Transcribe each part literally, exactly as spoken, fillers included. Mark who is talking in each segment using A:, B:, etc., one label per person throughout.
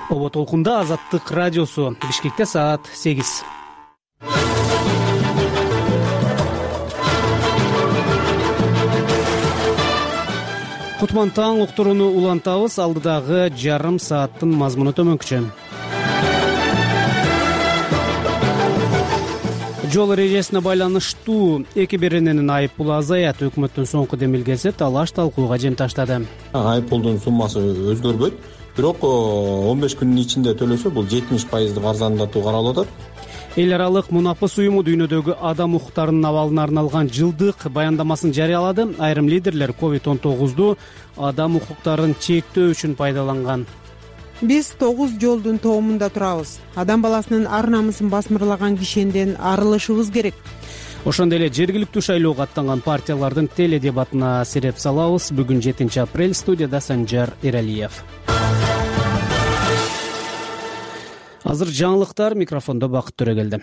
A: Оба толкунда Азаттык радиосу. Бишкекте саат сегиз. Кутман таң уктурууну улантабыз. Алдыдагы жарым сааттын мазмуну төмөнкүчө. Жол эрежесине байланыштуу эки берененин айып пулу азаят. Өкмөттүн соңку демилгеси талаш талкууга жем таштады.
B: Айып пулдун суммасы өзгөрбөйт, бирок он беш күндүн ичинде төлөсө бул жетимиш пайыздык арзандатуу каралып атат.
A: Эл аралык мунапыс уюму дүйнөдөгү адам укуктарынын абалына арналган жылдык баяндамасын жарыялады. Айрым лидерлер ковид он тогузду адам укуктарын чектөө үчүн пайдаланган.
C: Биз тогуз жолдун тоомунда турабыз. Адам баласынын ар намысын басмырлаган кишенден арылышыбыз керек.
A: Ошондой эле жергиликтүү шайлоого аттанган партиялардын теледебатына сереп салабыз. Бүгүн жетинчи апрель. Студияда Санжар Эралиев. Азыр жаңылыктар, микрофондо Бакыт Төрөгелди.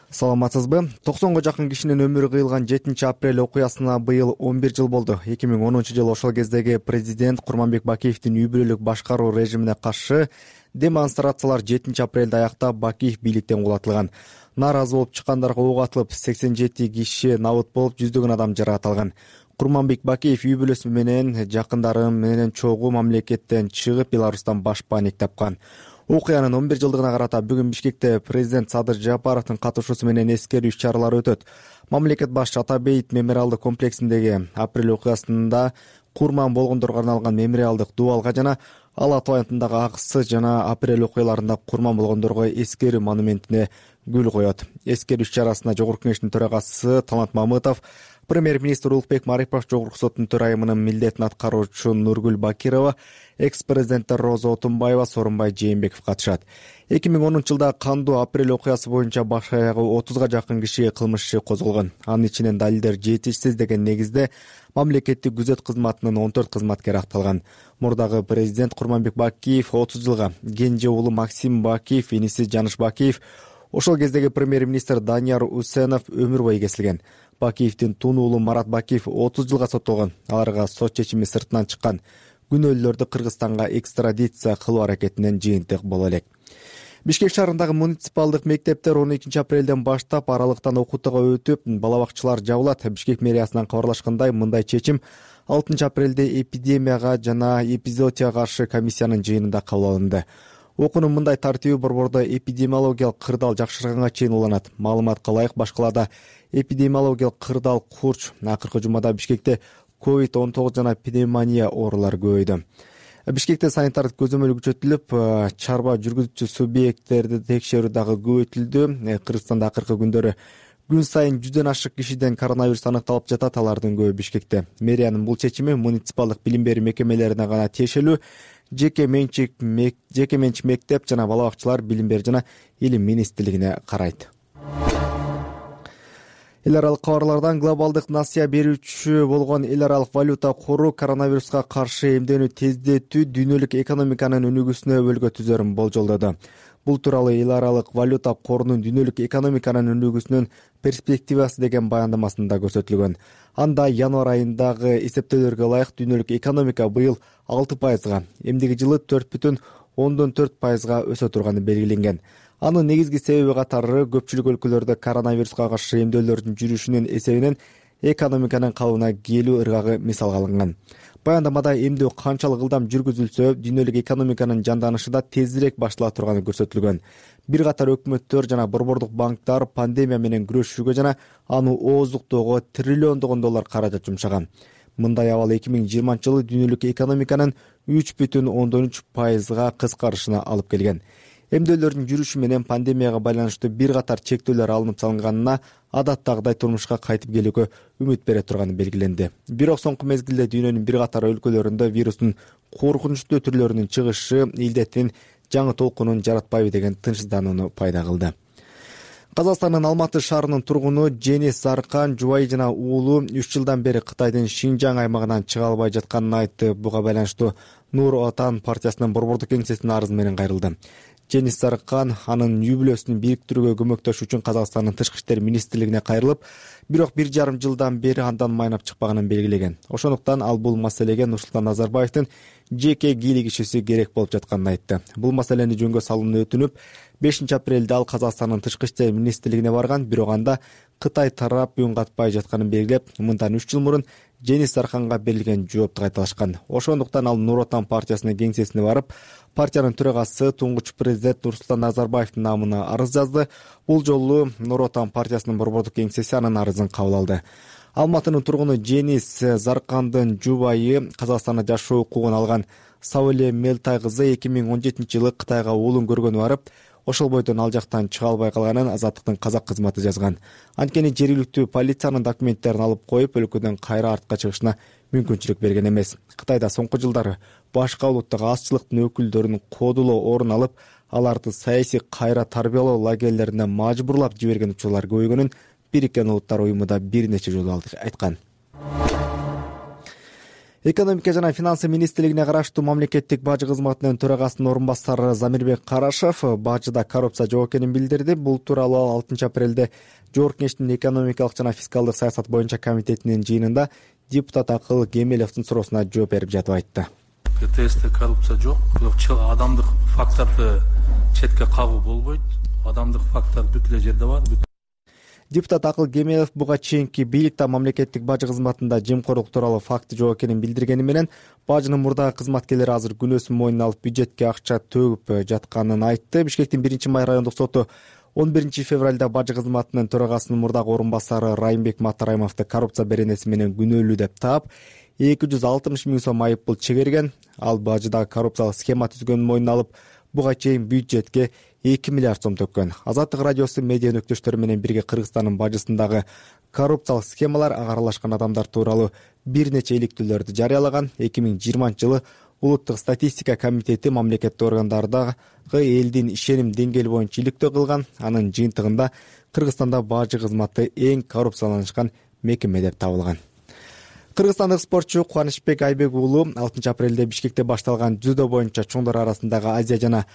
D: Саламатсызбы? токсонго жакын кишинин өмүрү кыйылган жетинчи апрель окуясына быйыл он бир жыл болду. эки миң онунчу жылы ошол кездеги президент Курманбек Бакиевдин үй бүлөлүк башкаруу режимине каршы демонстрациялар жетинчи апрелде аяктап Бакиев бийликтен кулатылган. Нааразы болуп чыккандарга ок атылып, сексен жети киши набыт болуп, жүздөгөн адам жаракат алган. Курманбек Бакиев үй бүлөсү менен жакындары менен чогуу мамлекеттен чыгып, Беларустан баш паник тапкан. Окуянын он бир жылдыгына карата бүгүн Бишкекте президент Садыр Жапаровдун катышуусу менен эскерүү иш-чаралары өтөт. Мамлекет башчы Атабейт мемориалдык комплексиндеги апрель окуясында курман болгондорго арналган мемориалдык дубалга жана Ала Тоо атындагы Аксы жана апрель окуяларында курман болгондорго эскерүү монументине гүл коет. Эскерүү иш-чарасына Жогорку Кеңештин төрагасы Талант Мамытов, премьер-министр Улукбек Марипов, Жогорку соттун төрайымынын милдетин аткаруучу Нургүл Бакирова, экс-президенттер Роза Отунбаева, Сооронбай Жээнбеков катышат. эки миң онунчу жылда кандуу апрель окуясы боюнча баш аягы отузга жакын кишиге кылмыш иши козголгон. Анын ичинен далилдер жетишсиз деген негизде мамлекеттик күзөт кызматынын он төрт кызматкери акталган. Мурдагы президент Курманбек Бакиев отуз жылга, кенже уулу Максим Бакиев, иниси Жаныш Бакиев, ошол кездеги премьер-министр Данияр Усенов өмүр бою кесилген. Бакиевдин тун уулу Марат Бакиев отуз жылга соттолгон. Аларга сот чечими сыртынан чыккан. Күнөөлүүлөрдү Кыргызстанга экстрадиция кылуу аракетинен жыйынтык боло элек. Бишкек шаарындагы муниципалдык мектептер он экинчи апрелден баштап аралыктан окутууга өтүп, бала бакчалар жабылат. Бишкек мэриясынан кабарлашкандай, мындай чечим алтынчы апрелде эпидемияга жана эпизоотияга каршы комиссиянын жыйынында кабыл алынды. Окуунун мындай тартиби борбордо эпидемиологиялык кырдаал жакшырганга чейин уланат. Маалыматка ылайык, баш калаада эпидемиологиялык кырдаал курч. Акыркы жумада Бишкекте ковид он тогуз жана пневмония оорулары көбөйдү. Бишкекте санитардык көзөмөл күчөтүлүп, чарба жүргүзүүчү субъекттерди текшерүү дагы көбөйтүлдү. Кыргызстанда акыркы күндөрү күн сайын жүздөн ашык кишиден коронавирус аныкталып жатат, алардын көбү Бишкекте. Мэриянын бул чечими муниципалдык билим берүү мекемелерине гана тиешелүү. Жеке менчик жеке менчик мектеп жана бала бакчалар билим берүү жана илим министрлигине карайт. Эл аралык кабарлардан глобалдык насыя берүүчү болгон эл аралык валюта кору коронавируска каршы эмдөөнү тездетүү дүйнөлүк экономиканын өнүгүүсүнө өбөлгө түзөрүн болжолдоду. Бул тууралуу эл аралык валюта корунун дүйнөлүк экономиканын өнүгүүсүнүн перспективасы деген баяндамасында көрсөтүлгөн. Анда январь айындагы эсептөөлөргө ылайык дүйнөлүк экономика быйыл алты пайызга, эмдиги жылы төрт бүтүн ондон төрт пайызга өсө турганы белгиленген. Анын негизги себеби катары көпчүлүк өлкөлөрдө коронавируска каршы эмдөөлөрдүн жүрүшүнүн эсебинен экономиканын калыбына келүү ыргагы мисалга алынган. Баяндамада эмдөө канчалык ылдам жүргүзүлсө, дүйнөлүк экономиканын жанданышы да тезирээк баштала турганы көрсөтүлгөн. Бир катар өкмөттөр жана борбордук банктар пандемия менен күрөшүүгө жана аны ооздуктоого триллиондогон доллар каражат жумшаган. Мындай абал эки миң жыйырманчы жылы дүйнөлүк экономиканын үч бүтүн ондон үч пайызга кыскарышына алып келген. Эмдөөлөрдүн жүрүшү менен пандемияга байланыштуу бир катар чектөөлөр алынып салынганына, адаттагыдай турмушка кайтып келүүгө үмүт бере турганы белгиленди. Бирок соңку мезгилде дүйнөнүн бир катар өлкөлөрүндө вирустун коркунучтуу түрлөрүнүн чыгышы илдеттин жаңы толкунун жаратпайбы деген тынчсызданууну пайда кылды. Казакстандын Алматы шаарынын тургуну Женис Заркан жубайы жана уулу үч жылдан бери Кытайдын Шинжаң аймагынан чыга албай жатканын айтты. Буга байланыштуу Нур Отан партиясынын борбордук кеңсесине арыз менен кайрылды. Женис Заркан анын үй бүлөсүн бириктирүүгө көмөктөшүү үчүн Казакстандын тышкы иштер министрлигине кайрылып, бирок бир жарым жылдан бери андан майнап чыкпаганын белгилеген. Ошондуктан ал бул маселеге Нурсултан Назарбаевдин жеке кийлигишүүсү керек болуп жатканын айтты. Бул маселени жөнгө салууну өтүнүп, бешинчи апрелде ал Казакстандын тышкы иштер министрлигине барган, бирок анда Кытай тарап үн катпай жатканын белгилеп, мындан үч жыл мурун Женис Зарканга берилген жоопту кайталашкан. Ошондуктан ал Нур Отан партиясынын кеңсесине барып, партиянын төрагасы туңгуч президент Нурсултан Назарбаевдин намына арыз жазды. Бул жолу Нур Отан партиясынын борбордук кеңсеси анын арызын кабыл алды. Алматынын тургуну Женис Заркандын жубайы, Казакстанда жашоо укугун алган Сауле Мелтай кызы эки миң он жетинчи жылы Кытайга уулун көргөнү барып, ошол бойдон ал жактан чыга албай калганын Азаттыктын казак кызматы жазган. Анткени жергиликтүү полициянын документтерин алып коюп, өлкөдөн кайра артка чыгышына мүмкүнчүлүк берген эмес. Кытайда соңку жылдары башка улуттагы азчылыктын өкүлдөрүнүн кодулоо орун алып, аларды саясий кайра тарбиялоо лагерлерине мажбурлап жиберген учурлар көбөйгөнүн Бириккен Улуттар уюму да бир нече жолу айткан. Экономика жана финансы министрлигине караштуу мамлекеттик бажы кызматынын төрагасынын орун басары Замирбек Карашев бажыда коррупция жок экенин билдирди. Бул тууралуу ал алтынчы апрелде Жогорку Кеңештин экономикалык жана фискалдык саясат боюнча комитетинин жыйынында депутат Акыл Кемелевдин суроосуна жооп берип жатып айтты.
E: КТСте коррупция жок, бирок адамдык факторду четке кагуу болбойт. Адамдык фактор бүт эле жерде бар.
D: Депутат Акыл Кемелев буга чейинки бийликте мамлекеттик бажы кызматында жемкорлук тууралуу факты жок экенин билдиргени менен, бажынын мурдагы кызматкерлери азыр күнөөсүн мойнуна алып бюджетке акча төгүп жатканын айтты. Бишкектин биринчи май райондук соту он биринчи февралда бажы кызматынын төрагасынын мурдагы орун басары Райымбек Матараймовду коррупция беренеси менен күнөөлүү деп таап, эки жүз алтымыш миң сом айыппул чегерген. Ал бажыдагы коррупциялык схема түзгөнүн мойнуна алып, буга чейин бюджетке эки миллиард сом төккөн. Азаттык радиосу медиа өнөктөштөрү менен бирге Кыргызстандын бажысындагы коррупциялык схемалар, ага аралашкан адамдар тууралуу бир нече иликтүүлөрдү жарыялаган. эки миң жыйырманчы жылы Улуттук статистика комитети мамлекеттик органдардагы элдин ишеним деңгээли боюнча иликтөө кылган. Анын жыйынтыгында Кыргызстанда бажы кызматы эң коррупцияланышкан мекеме деп табылган. Кыргызстандык спортчу Кубанычбек Айбек уулу алтынчы апрелде Бишкекте башталган дзюдо боюнча чоңдор арасындагы Азия жана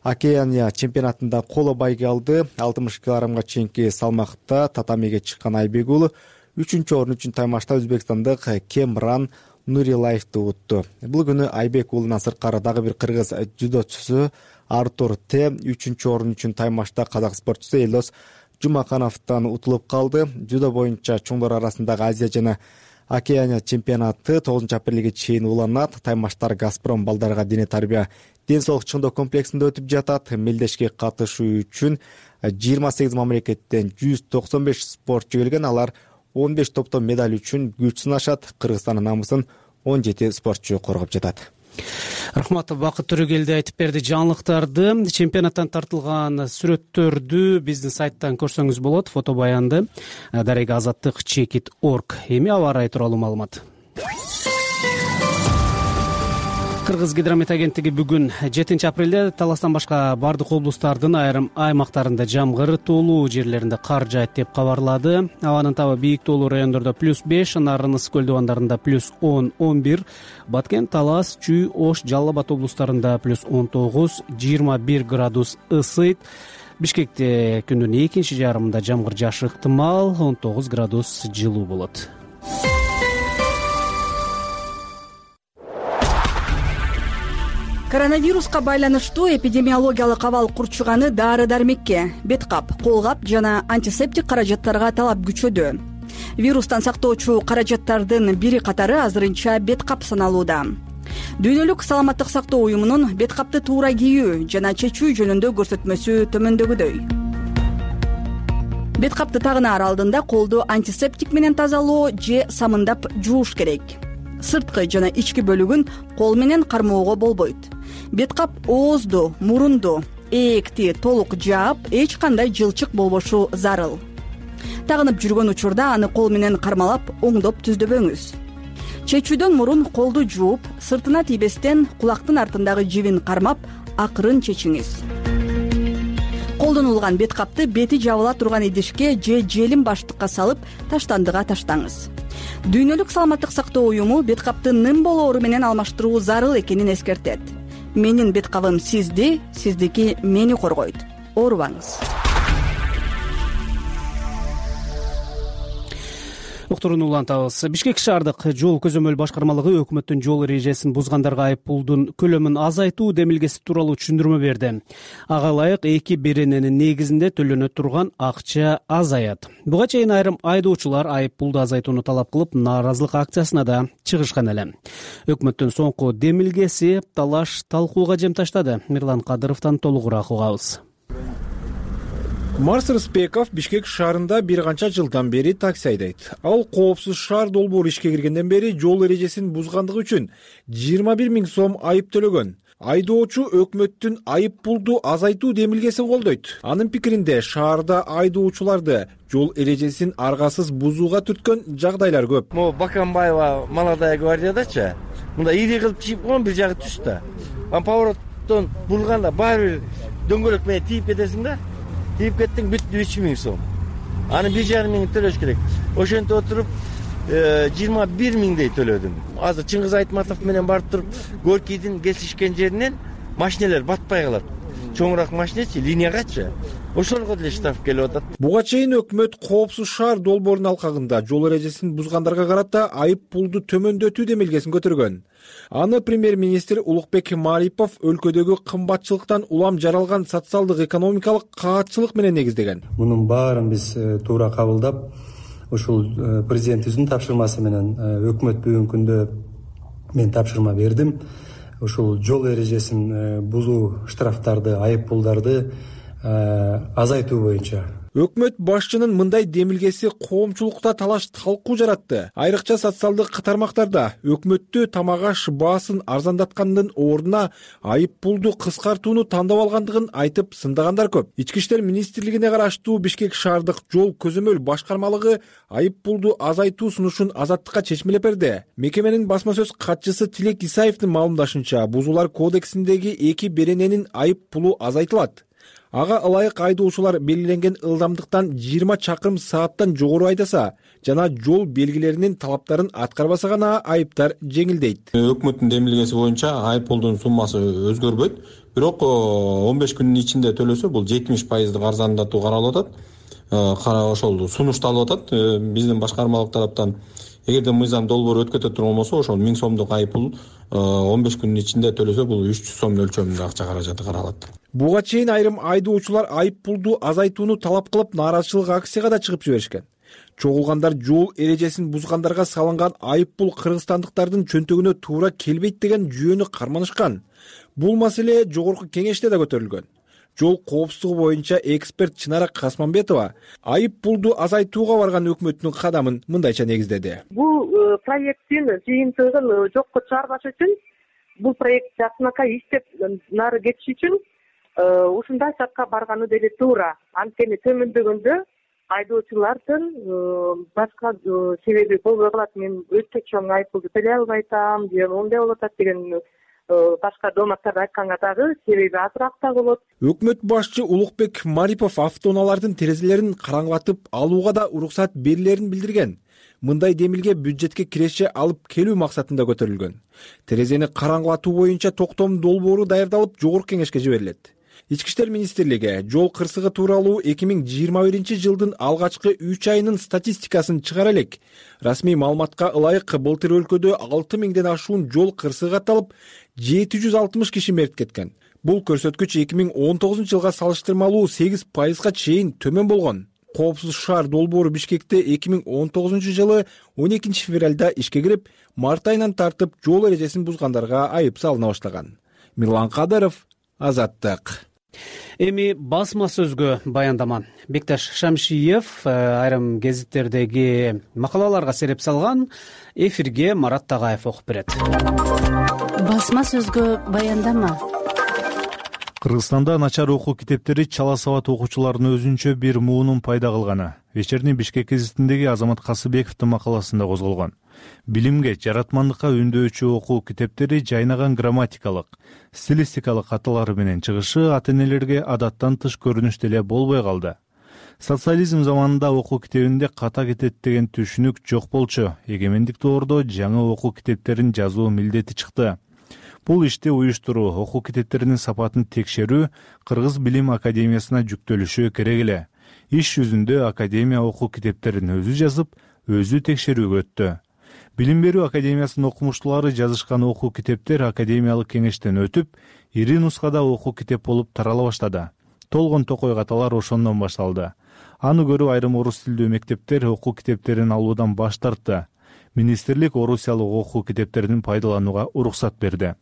D: Океания чемпионатында коло байге алды. алтымыш килограммга чейинки салмакта татамиге чыккан Айбек уулу үчүнчү орун үчүн таймашта өзбекстандык Кемран Нурилаевди утту. Бул күнү Айбек уулунан сырткары дагы бир кыргыз дзюдочусу Артур Т үчүнчү орун үчүн таймашта казак спортчусу Элдос Жумакановдон утулуп калды. Дзюдо боюнча чоңдор арасындагы Азия жана Океания чемпионаты тогузунчу апрелге чейин уланат. Таймаштар Газпром балдарга дене тарбия ден соолук чыңдоо комплексинде өтүп жатат. Мелдешке катышуу үчүн жыйырма сегиз мамлекеттен жүз токсон беш спортчу келген. Алар он беш топтон медаль үчүн күч сынашат. Кыргызстандын намысын он жети спортчу коргоп жатат.
A: Рахмат, Бакыт Төрөгелди айтып берди жаңылыктарды. Чемпионаттан тартылган сүрөттөрдү биздин сайттан көрсөңүз болот. Фото баянды дареги азаттык чекит точка орг. Эми аба ырайы тууралуу маалымат. Кыргыз гидромет агенттиги бүгүн жетинчи апрелде Таластан башка бардык облустардын айрым аймактарында жамгыр, тоолуу жерлеринде кар жаайт деп кабарлады. Абанын табы бийик тоолуу райондордо плюс беш, Нарын ысык көл дубандарында плюс он он бир, Баткен, Талас, Чүй, Ош, Жалал Абад облустарында плюс он тогуз жыйырма бир градус ысыйт. Бишкекте күндүн экинчи жарымында жамгыр жаашы ыктымал, он тогуз градус жылуу болот.
F: Коронавируска байланыштуу эпидемиологиялык абал курчуганы дары-дармекке, бет кап, кол кап жана антисептик каражаттарга талап күчөдү. Вирустан сактоочу каражаттардын бири катары азырынча бет кап саналууда. Дүйнөлүк саламаттык сактоо уюмунун бет капты туура кийүү жана чечүү жөнүндө көрсөтмөсү төмөндөгүдөй. Бет капты тагынаар алдында колду антисептик менен тазалоо же самындап жууш керек. Сырткы жана ички бөлүгүн кол менен кармоого болбойт. Бет кап оозду, мурунду, ээкти толук жаап, эч кандай жылчык болбошу зарыл. Тагынып жүргөн учурда аны кол менен кармалап, оңдоп түздөбөңүз. Чечүүдөн мурун колду жууп, сыртына тийбестен кулактын артындагы жибин кармап, акырын чечиңиз. Колдонулган бет капты бети жабыла турган идишке же желим баштыкка салып, таштандыга таштаңыз. Дүйнөлүк саламаттык сактоо уюму бет капты ным болоору менен алмаштыруу зарыл экенин эскертет. менин бет кабым сизди, сиздики мени коргойт. Оорубаңыз.
A: Уктуруну улантабыз. Бишкек шаардык жол көзөмөл башкармалыгы өкмөттүн жол эрежесин бузгандарга айып пулдун көлөмүн азайтуу демилгеси тууралуу түшүндүрмө берди. Ага ылайык эки берененин негизинде төлөнө турган акча азаят. Буга чейин айрым айдоочулар айып пулду азайтууну талап кылып, нааразылык акциясына да чыгышкан эле. Өкмөттүн соңку демилгеси талаш талкууга жем таштады. Мирлан Кадыровдон толугураак угабыз.
G: Марс Рыспеков Бишкек шаарында бир канча жылдан бери такси айдайт. Ал коопсуз шаар долбоору ишке киргенден бери жол эрежесин бузгандыгы үчүн жыйырма бир миң сом айып төлөгөн. Айдоочу өкмөттүн айып пулду азайтуу демилгесин колдойт. Анын пикиринде шаарда айдоочуларды жол эрежесин аргасыз бузууга түрткөн жагдайлар көп.
H: Могу Баканбаева Молодая гвардиядачы мында ири кылып чийип койгон бир жагы түстө. Анан повороттон бурганда баары бир дөңгөлөк менен тийип кетесиң да. Тийип кеттиң, бүттү үч миң сом. Аны бир жарым миң төлөш керек. Ошентип отуруп жыйырма бир миңдей төлөдүм. Азыр Чыңгыз Айтматов менен барып туруп Горкийдин кесишкен жеринен машинелер батпай калат. Чоңураак машинечи, линиягачы. Ошолорго деле штраф келип атат.
G: Буга чейин өкмөт коопсуз шаар долбоорунун алкагында жол эрежесин бузгандарга карата айып пулду төмөндөтүү демилгесин көтөргөн. Аны премьер-министр Улукбек Марипов өлкөдөгү кымбатчылыктан улам жаралган социалдык экономикалык каатчылык менен негиздеген.
I: Мунун баарын биз туура кабылдап, ушул президентибиздин тапшырмасы менен өкмөт бүгүнкү күндө мен тапшырма бердим. Ушул жол эрежесин бузуу штрафтарды, айып пулдарды азайтуу боюнча.
G: Өкмөт башчынын мындай демилгеси коомчулукта талаш талкуу жаратты. Айрыкча социалдык тармактарда өкмөттү тамак аш баасын арзандаткандын ордуна айып пулду кыскартууну тандап алгандыгын айтып сындагандар көп. Ички иштер министрлигине караштуу Бишкек шаардык жол көзөмөл башкармалыгы айып пулду азайтуу сунушун Азаттыкка чечмелеп берди. Мекеменин басма сөз катчысы Тилек Исаевдин маалымдашынча, бузуулар кодексиндеги эки берененин айып пулу азайтылат. Ага ылайык айдоочулар белгиленген ылдамдыктан жыйырма чакырым сааттан жогору айдаса жана жол белгилеринин талаптарын аткарбаса гана айыптар жеңилдейт.
B: Өкмөттүн демилгеси боюнча айып пулдун суммасы өзгөрбөйт, бирок он беш күндүн ичинде төлөсө бул жетимиш пайыздык арзандатуу каралып атат. Ошол сунушталып атат биздин башкармалык тараптан. Эгерде мыйзам долбоору өткөтө турган болсо, ошол миң сомдук айып пул он беш күндүн ичинде төлөсө бул үч жүз сом өлчөмүндө акча каражаты каралат.
G: Буга чейин айрым айдоочулар айып пулду азайтууну талап кылып нааразычылык акцияга да чыгып жиберишкен. Чогулгандар жол эрежесин бузгандарга салынган айып пул кыргызстандыктардын чөнтөгүнө туура келбейт деген жүйөнү карманышкан. Бул маселе жогорку кеңеште да көтөрүлгөн. Жол коопсуздугу боюнча эксперт Чынара Касманбетова айып пулду азайтууга барган өкмөттүн кадамын мындайча негиздеди.
J: Бул проекттин жыйынтыгын жокко чыгарбаш үчүн, бул проект жакынакай иштеп нары кетиш үчүн ушундай шартка барганы деле туура. Анткени төмөндөгөндө айдоочулардын башка себеби болбой калат. Мен өтө чоң айып пулду төлөй албай атам, же мондай болуп атат деген башка дооматтарды айтканга дагы себеби азыраак да болот.
G: Өкмөт башчы Улукбек Марипов автоунаалардын терезелерин караңгылатып алууга да уруксат берилерин билдирген. Мындай демилге бюджетке киреше алып келүү максатында көтөрүлгөн. Терезени караңгылатуу боюнча токтом долбоору даярдалып жогорку кеңешке жиберилет. Ички иштер министрлиги жол кырсыгы тууралуу эки миң жыйырма биринчи жылдын алгачкы үч айынын статистикасын чыгара элек. Расмий маалыматка ылайык былтыр өлкөдө алты миңден ашуун жол кырсыгы катталып, жети жүз алтымыш киши мерт кеткен. Бул көрсөткүч эки миң он тогузунчу жылга салыштырмалуу сегиз пайызга чейин төмөн болгон. Коопсуз шаар долбоору Бишкекте эки миң он тогузунчу жылы он экинчи февралда ишке кирип, март айынан тартып жол эрежесин бузгандарга айып салына баштаган. Мирлан Кадыров, Азаттык.
A: Эми басма сөзгө баяндама. Бекташ Шамшиев айрым гезиттердеги макалаларга сереп салган. Эфирге Марат Тагаев окуп берет.
K: Басма сөзгө баяндама.
L: Кыргызстанда начар окуу китептери чала сабат окуучулардын өзүнчө бир муунун пайда кылганы Вечерний Бишкек гезитиндеги Азамат Касыбековдун макаласында козголгон. Билимге, жаратмандыкка үндөочү окуу китептери жайнаган грамматикалык, стилистикалык каталары менен чыгышы ата-энелерге адаттан тыш көрүнүш деле болбой калды. Социализм заманында окуу китебинде ката кетет деген түшүнүк жок болчу. Эгемендик доордо жаңы окуу китептерин жазуу милдети чыкты. Бул ишти уюштуруу, окуу китептеринин сапатын текшерүү Кыргыз Билим Академиясына жүктөлүшү керек эле. Иш жүзүндө академия окуу китептерин өзү жазып, өзү текшерүүгө өттү. Билим берүү академиясынын окумуштуулары жазышкан окуу китептер академиялык кеңештен өтүп, ири нускада окуу китеп болуп тарала баштады. Толгон токой каталар ошондон башталды. Аны көрүп айрым орус тилдүү мектептер окуу китептерин алуудан баш тартты. Министрлик орусиялык окуу китептерин пайдаланууга уруксат берди.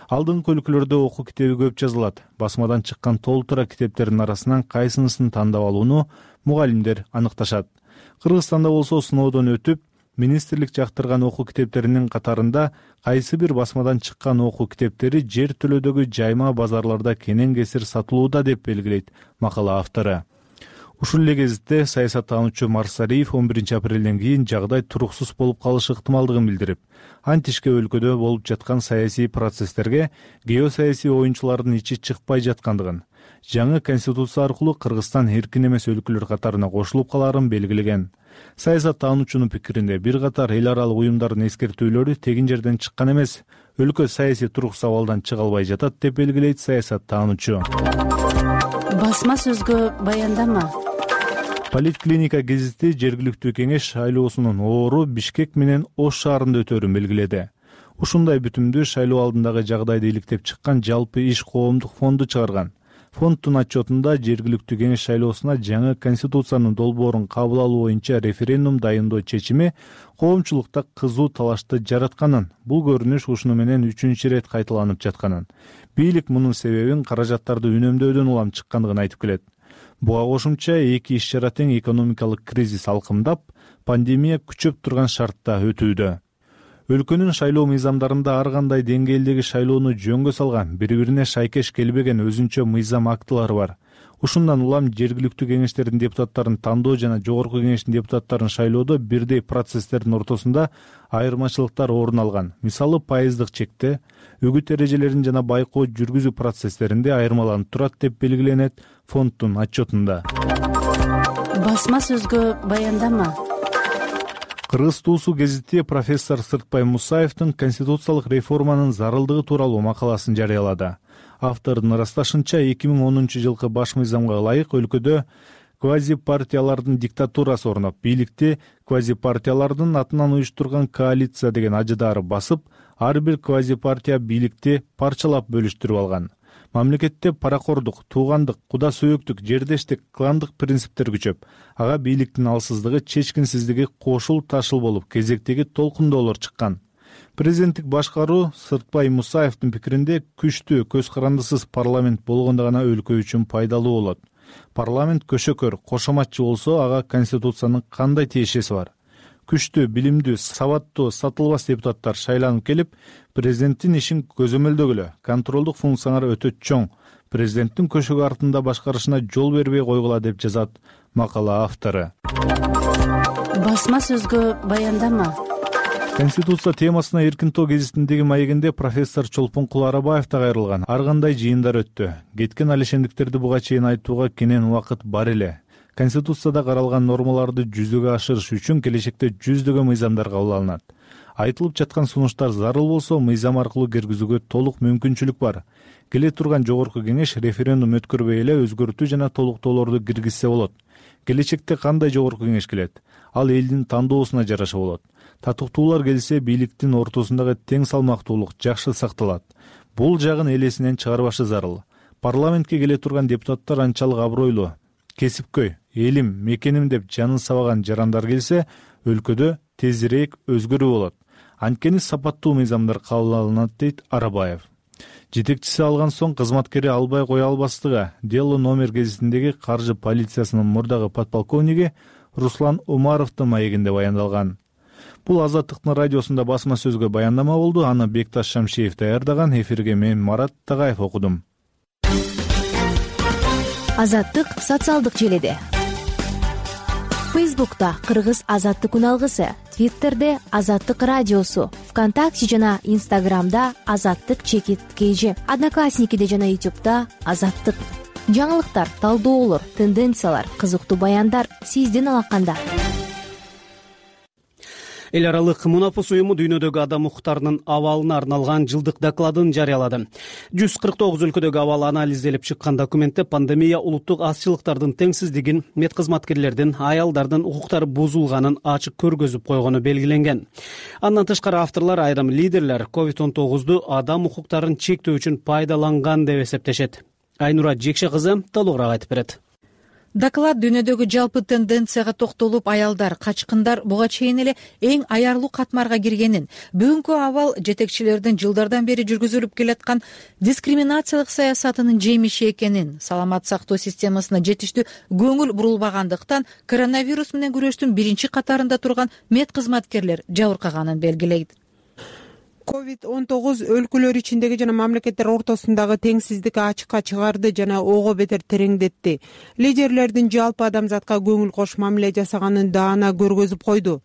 L: Алдыңкы өлкөлөрдө окуу китеби көп жазылат. Басмадан чыккан толтура китептердин арасынан кайсынысын тандап алууну мугалимдер аныкташат. Кыргызстанда болсо сыноодон өтүп, министрлик жактырган окуу китептеринин катарында кайсы бир басмадан чыккан окуу китептери жер төлөдөгү жайма базарларда кенен кесир сатылууда деп белгилейт макала автору. Ушул эле кезекте саясаттануучу Марсариев он биринчи апрелден кийин жагдай туруксуз болуп калышы ыктымалдыгын билдирип, антишке өлкөдө болуп жаткан саясий процесстерге геосаясий оюнчулардын ичи чыкпай жаткандыгын, жаңы конституция аркылуу Кыргызстан эркин эмес өлкөлөр катарына кошулуп калаарын белгилеген. Саясаттануучунун пикиринде бир катар эл аралык уюмдардын эскертүүлөрү тегин жерден чыккан эмес, өлкө саясий туруксуз абалдан чыга албай жатат деп белгилейт саясаттануучу.
K: Басма сөзгө баяндама.
L: Политклиника гезити жергиликтүү кеңеш шайлоосунун оору Бишкек менен Ош шаарында өтөрүн белгиледи. Ушундай бүтүмдү шайлоо алдындагы жагдайды иликтеп чыккан жалпы иш коомдук фонду чыгарган. Фонддун отчетунда жергиликтүү кеңеш шайлоосуна жаңы конституциянын долбоорун кабыл алуу боюнча референдум дайындоо чечими коомчулукта кызуу талашты жаратканын, бул көрүнүш ушуну менен үчүнчү ирет кайталанып жатканын, бийлик мунун себебин каражаттарды үнөмдөөдөн улам чыккандыгын айтып келет. Буга кошумча эки иш чара тең экономикалык кризис алкымдап, пандемия күчөп турган шартта өтүүдө. Өлкөнүн шайлоо мыйзамдарында ар кандай деңгээлдеги шайлоону жөнгө салган, бири-бирине шайкеш келбеген өзүнчө мыйзам актылары бар. Ушундан улам жергиликтүү кеңештердин депутаттарын тандоо жана жогорку кеңештин депутаттарын шайлоодо бирдей процесстердин ортосунда айырмачылыктар орун алган. Мисалы, пайыздык чекте, үгүт эрежелерин жана байкоо жүргүзүү процесстеринде айырмаланып турат деп белгиленет фонддун отчетунда.
K: Басма сөзгө баяндама.
L: Кыргыз туусу гезити профессор Сыртбай Мусаевдин конституциялык реформанын зарылдыгы тууралуу макаласын жарыялады. Автордун ырасташынча, эки миң онунчу жылкы баш мыйзамга ылайык өлкөдө квазипартиялардын диктатурасы орноп, бийликти квазипартиялардын атынан уюштурган коалиция деген ажыдаары басып, ар бир квазипартия бийликти парчалап бөлүштүрүп алган. Мамлекетте паракордук, туугандык, куда сөөктүк, жердештик, кландык принциптер күчөп, ага бийликтин алсыздыгы, чечкинсиздиги кошул ташыл болуп, кезектеги толкундоолор чыккан. Президенттик башкаруу Сыртбай Мусаевдин пикиринде күчтүү, көз карандысыз парламент болгондо гана өлкө үчүн пайдалуу болот. Парламент көшөкөр, кошоматчы болсо, ага конституциянын кандай тиешеси бар? Күчтүү, билимдүү, сабаттуу, сатылбас депутаттар шайланып келип, президенттин ишин көзөмөлдөгүлө, контролдук функциялары өтө чоң, президенттин көшөгө артында башкарышына жол бербей койгула деп жазат макала автору.
K: Басма сөзгө баяндама.
L: Конституция темасына Эркин тоо гезитиндеги маегинде профессор Чолпонкул Арабаев да кайрылган. Ар кандай жыйындар өттү. Кеткен алешендиктерди буга чейин айтууга кенен убакыт бар эле. Конституцияда каралган нормаларды жүзөгө ашырыш үчүн келечекте жүздөгөн мыйзамдар кабыл алынат. Айтылып жаткан сунуштар зарыл болсо, мыйзам аркылуу киргизүүгө толук мүмкүнчүлүк бар. Келе турган жогорку кеңеш референдум өткөрбөй эле өзгөртүү жана толуктоолорду киргизсе болот. Келечекте кандай жогорку кеңеш келет? Ал элдин тандоосуна жараша болот. Татыктуулар келсе, бийликтин ортосундагы тең салмактуулук жакшы сакталат. Бул жагын элесинен чыгарбашы зарыл. Парламентке келе турган депутаттар анчалык абройлуу, кесипкөй, элим, мекеним деп жанын сабаган жарандар келсе, өлкөдө тезирээк өзгөрүү болот. Анткени сапаттуу мыйзамдар кабыл алынат, дейт Арабаев. Жетекчиси алган соң кызматкери албай кое албастыгы дело номер гезитиндеги каржы полициясынын мурдагы подполковниги Руслан Умаровдун маегинде баяндалган. Бул Азаттыктын радиосунда басма сөзгө баяндама болду. Аны Бекташ Шамшиев даярдаган. Эфирге мен Марат Тагаев окудум.
M: Азаттык социалдык желиде. Фейсбукта Кыргыз Азаттык үналгысы, Твиттерде Азаттык радиосу, ВКонтакте жана Инстаграмда Азаттык чекит кейжи, Одноклассникиде жана Ютубта Азаттык. Жаңылыктар, талдоолор, тенденциялар, кызыктуу баяндар сиздин алаканда.
A: эл аралык мунапус уюму дүйнөдөгү адам укуктарынын абалына арналган жылдык докладын жарыялады. жүз кырк тогуз өлкөдөгү абал анализделип чыккан документте пандемия улуттук азчылыктардын теңсиздигин, медкызматкерлердин, аялдардын укуктары бузулганын ачык көргөзүп койгону белгиленген. Андан тышкары авторлор айрым лидерлер ковид он тогузду адам укуктарын чектөө үчүн пайдаланган деп эсептешет. Айнура Жекше кызы толугураак айтып берет.
N: Доклад дүйнөдөгү жалпы тенденцияга токтолуп, аялдар, качкындар буга чейин эле эң аярлуу катмарга киргенин, бүгүнкү абал жетекчилердин жылдардан бери жүргүзүлүп келаткан дискриминациялык саясатынын жемиши экенин, саламат сактоо системасына жетиштүү көңүл бурулбагандыктан коронавирус менен күрөштүн биринчи катарында турган медкызматкерлер жабыркаганын белгилейт.
C: ковид он тогуз өлкөлөр ичиндеги жана мамлекеттер ортосундагы теңсиздикти ачыкка чыгарды жана ого бетер тереңдетти. Лидерлердин жалпы адамзатка көңүл кош мамиле жасаганын даана көргөзүп койду.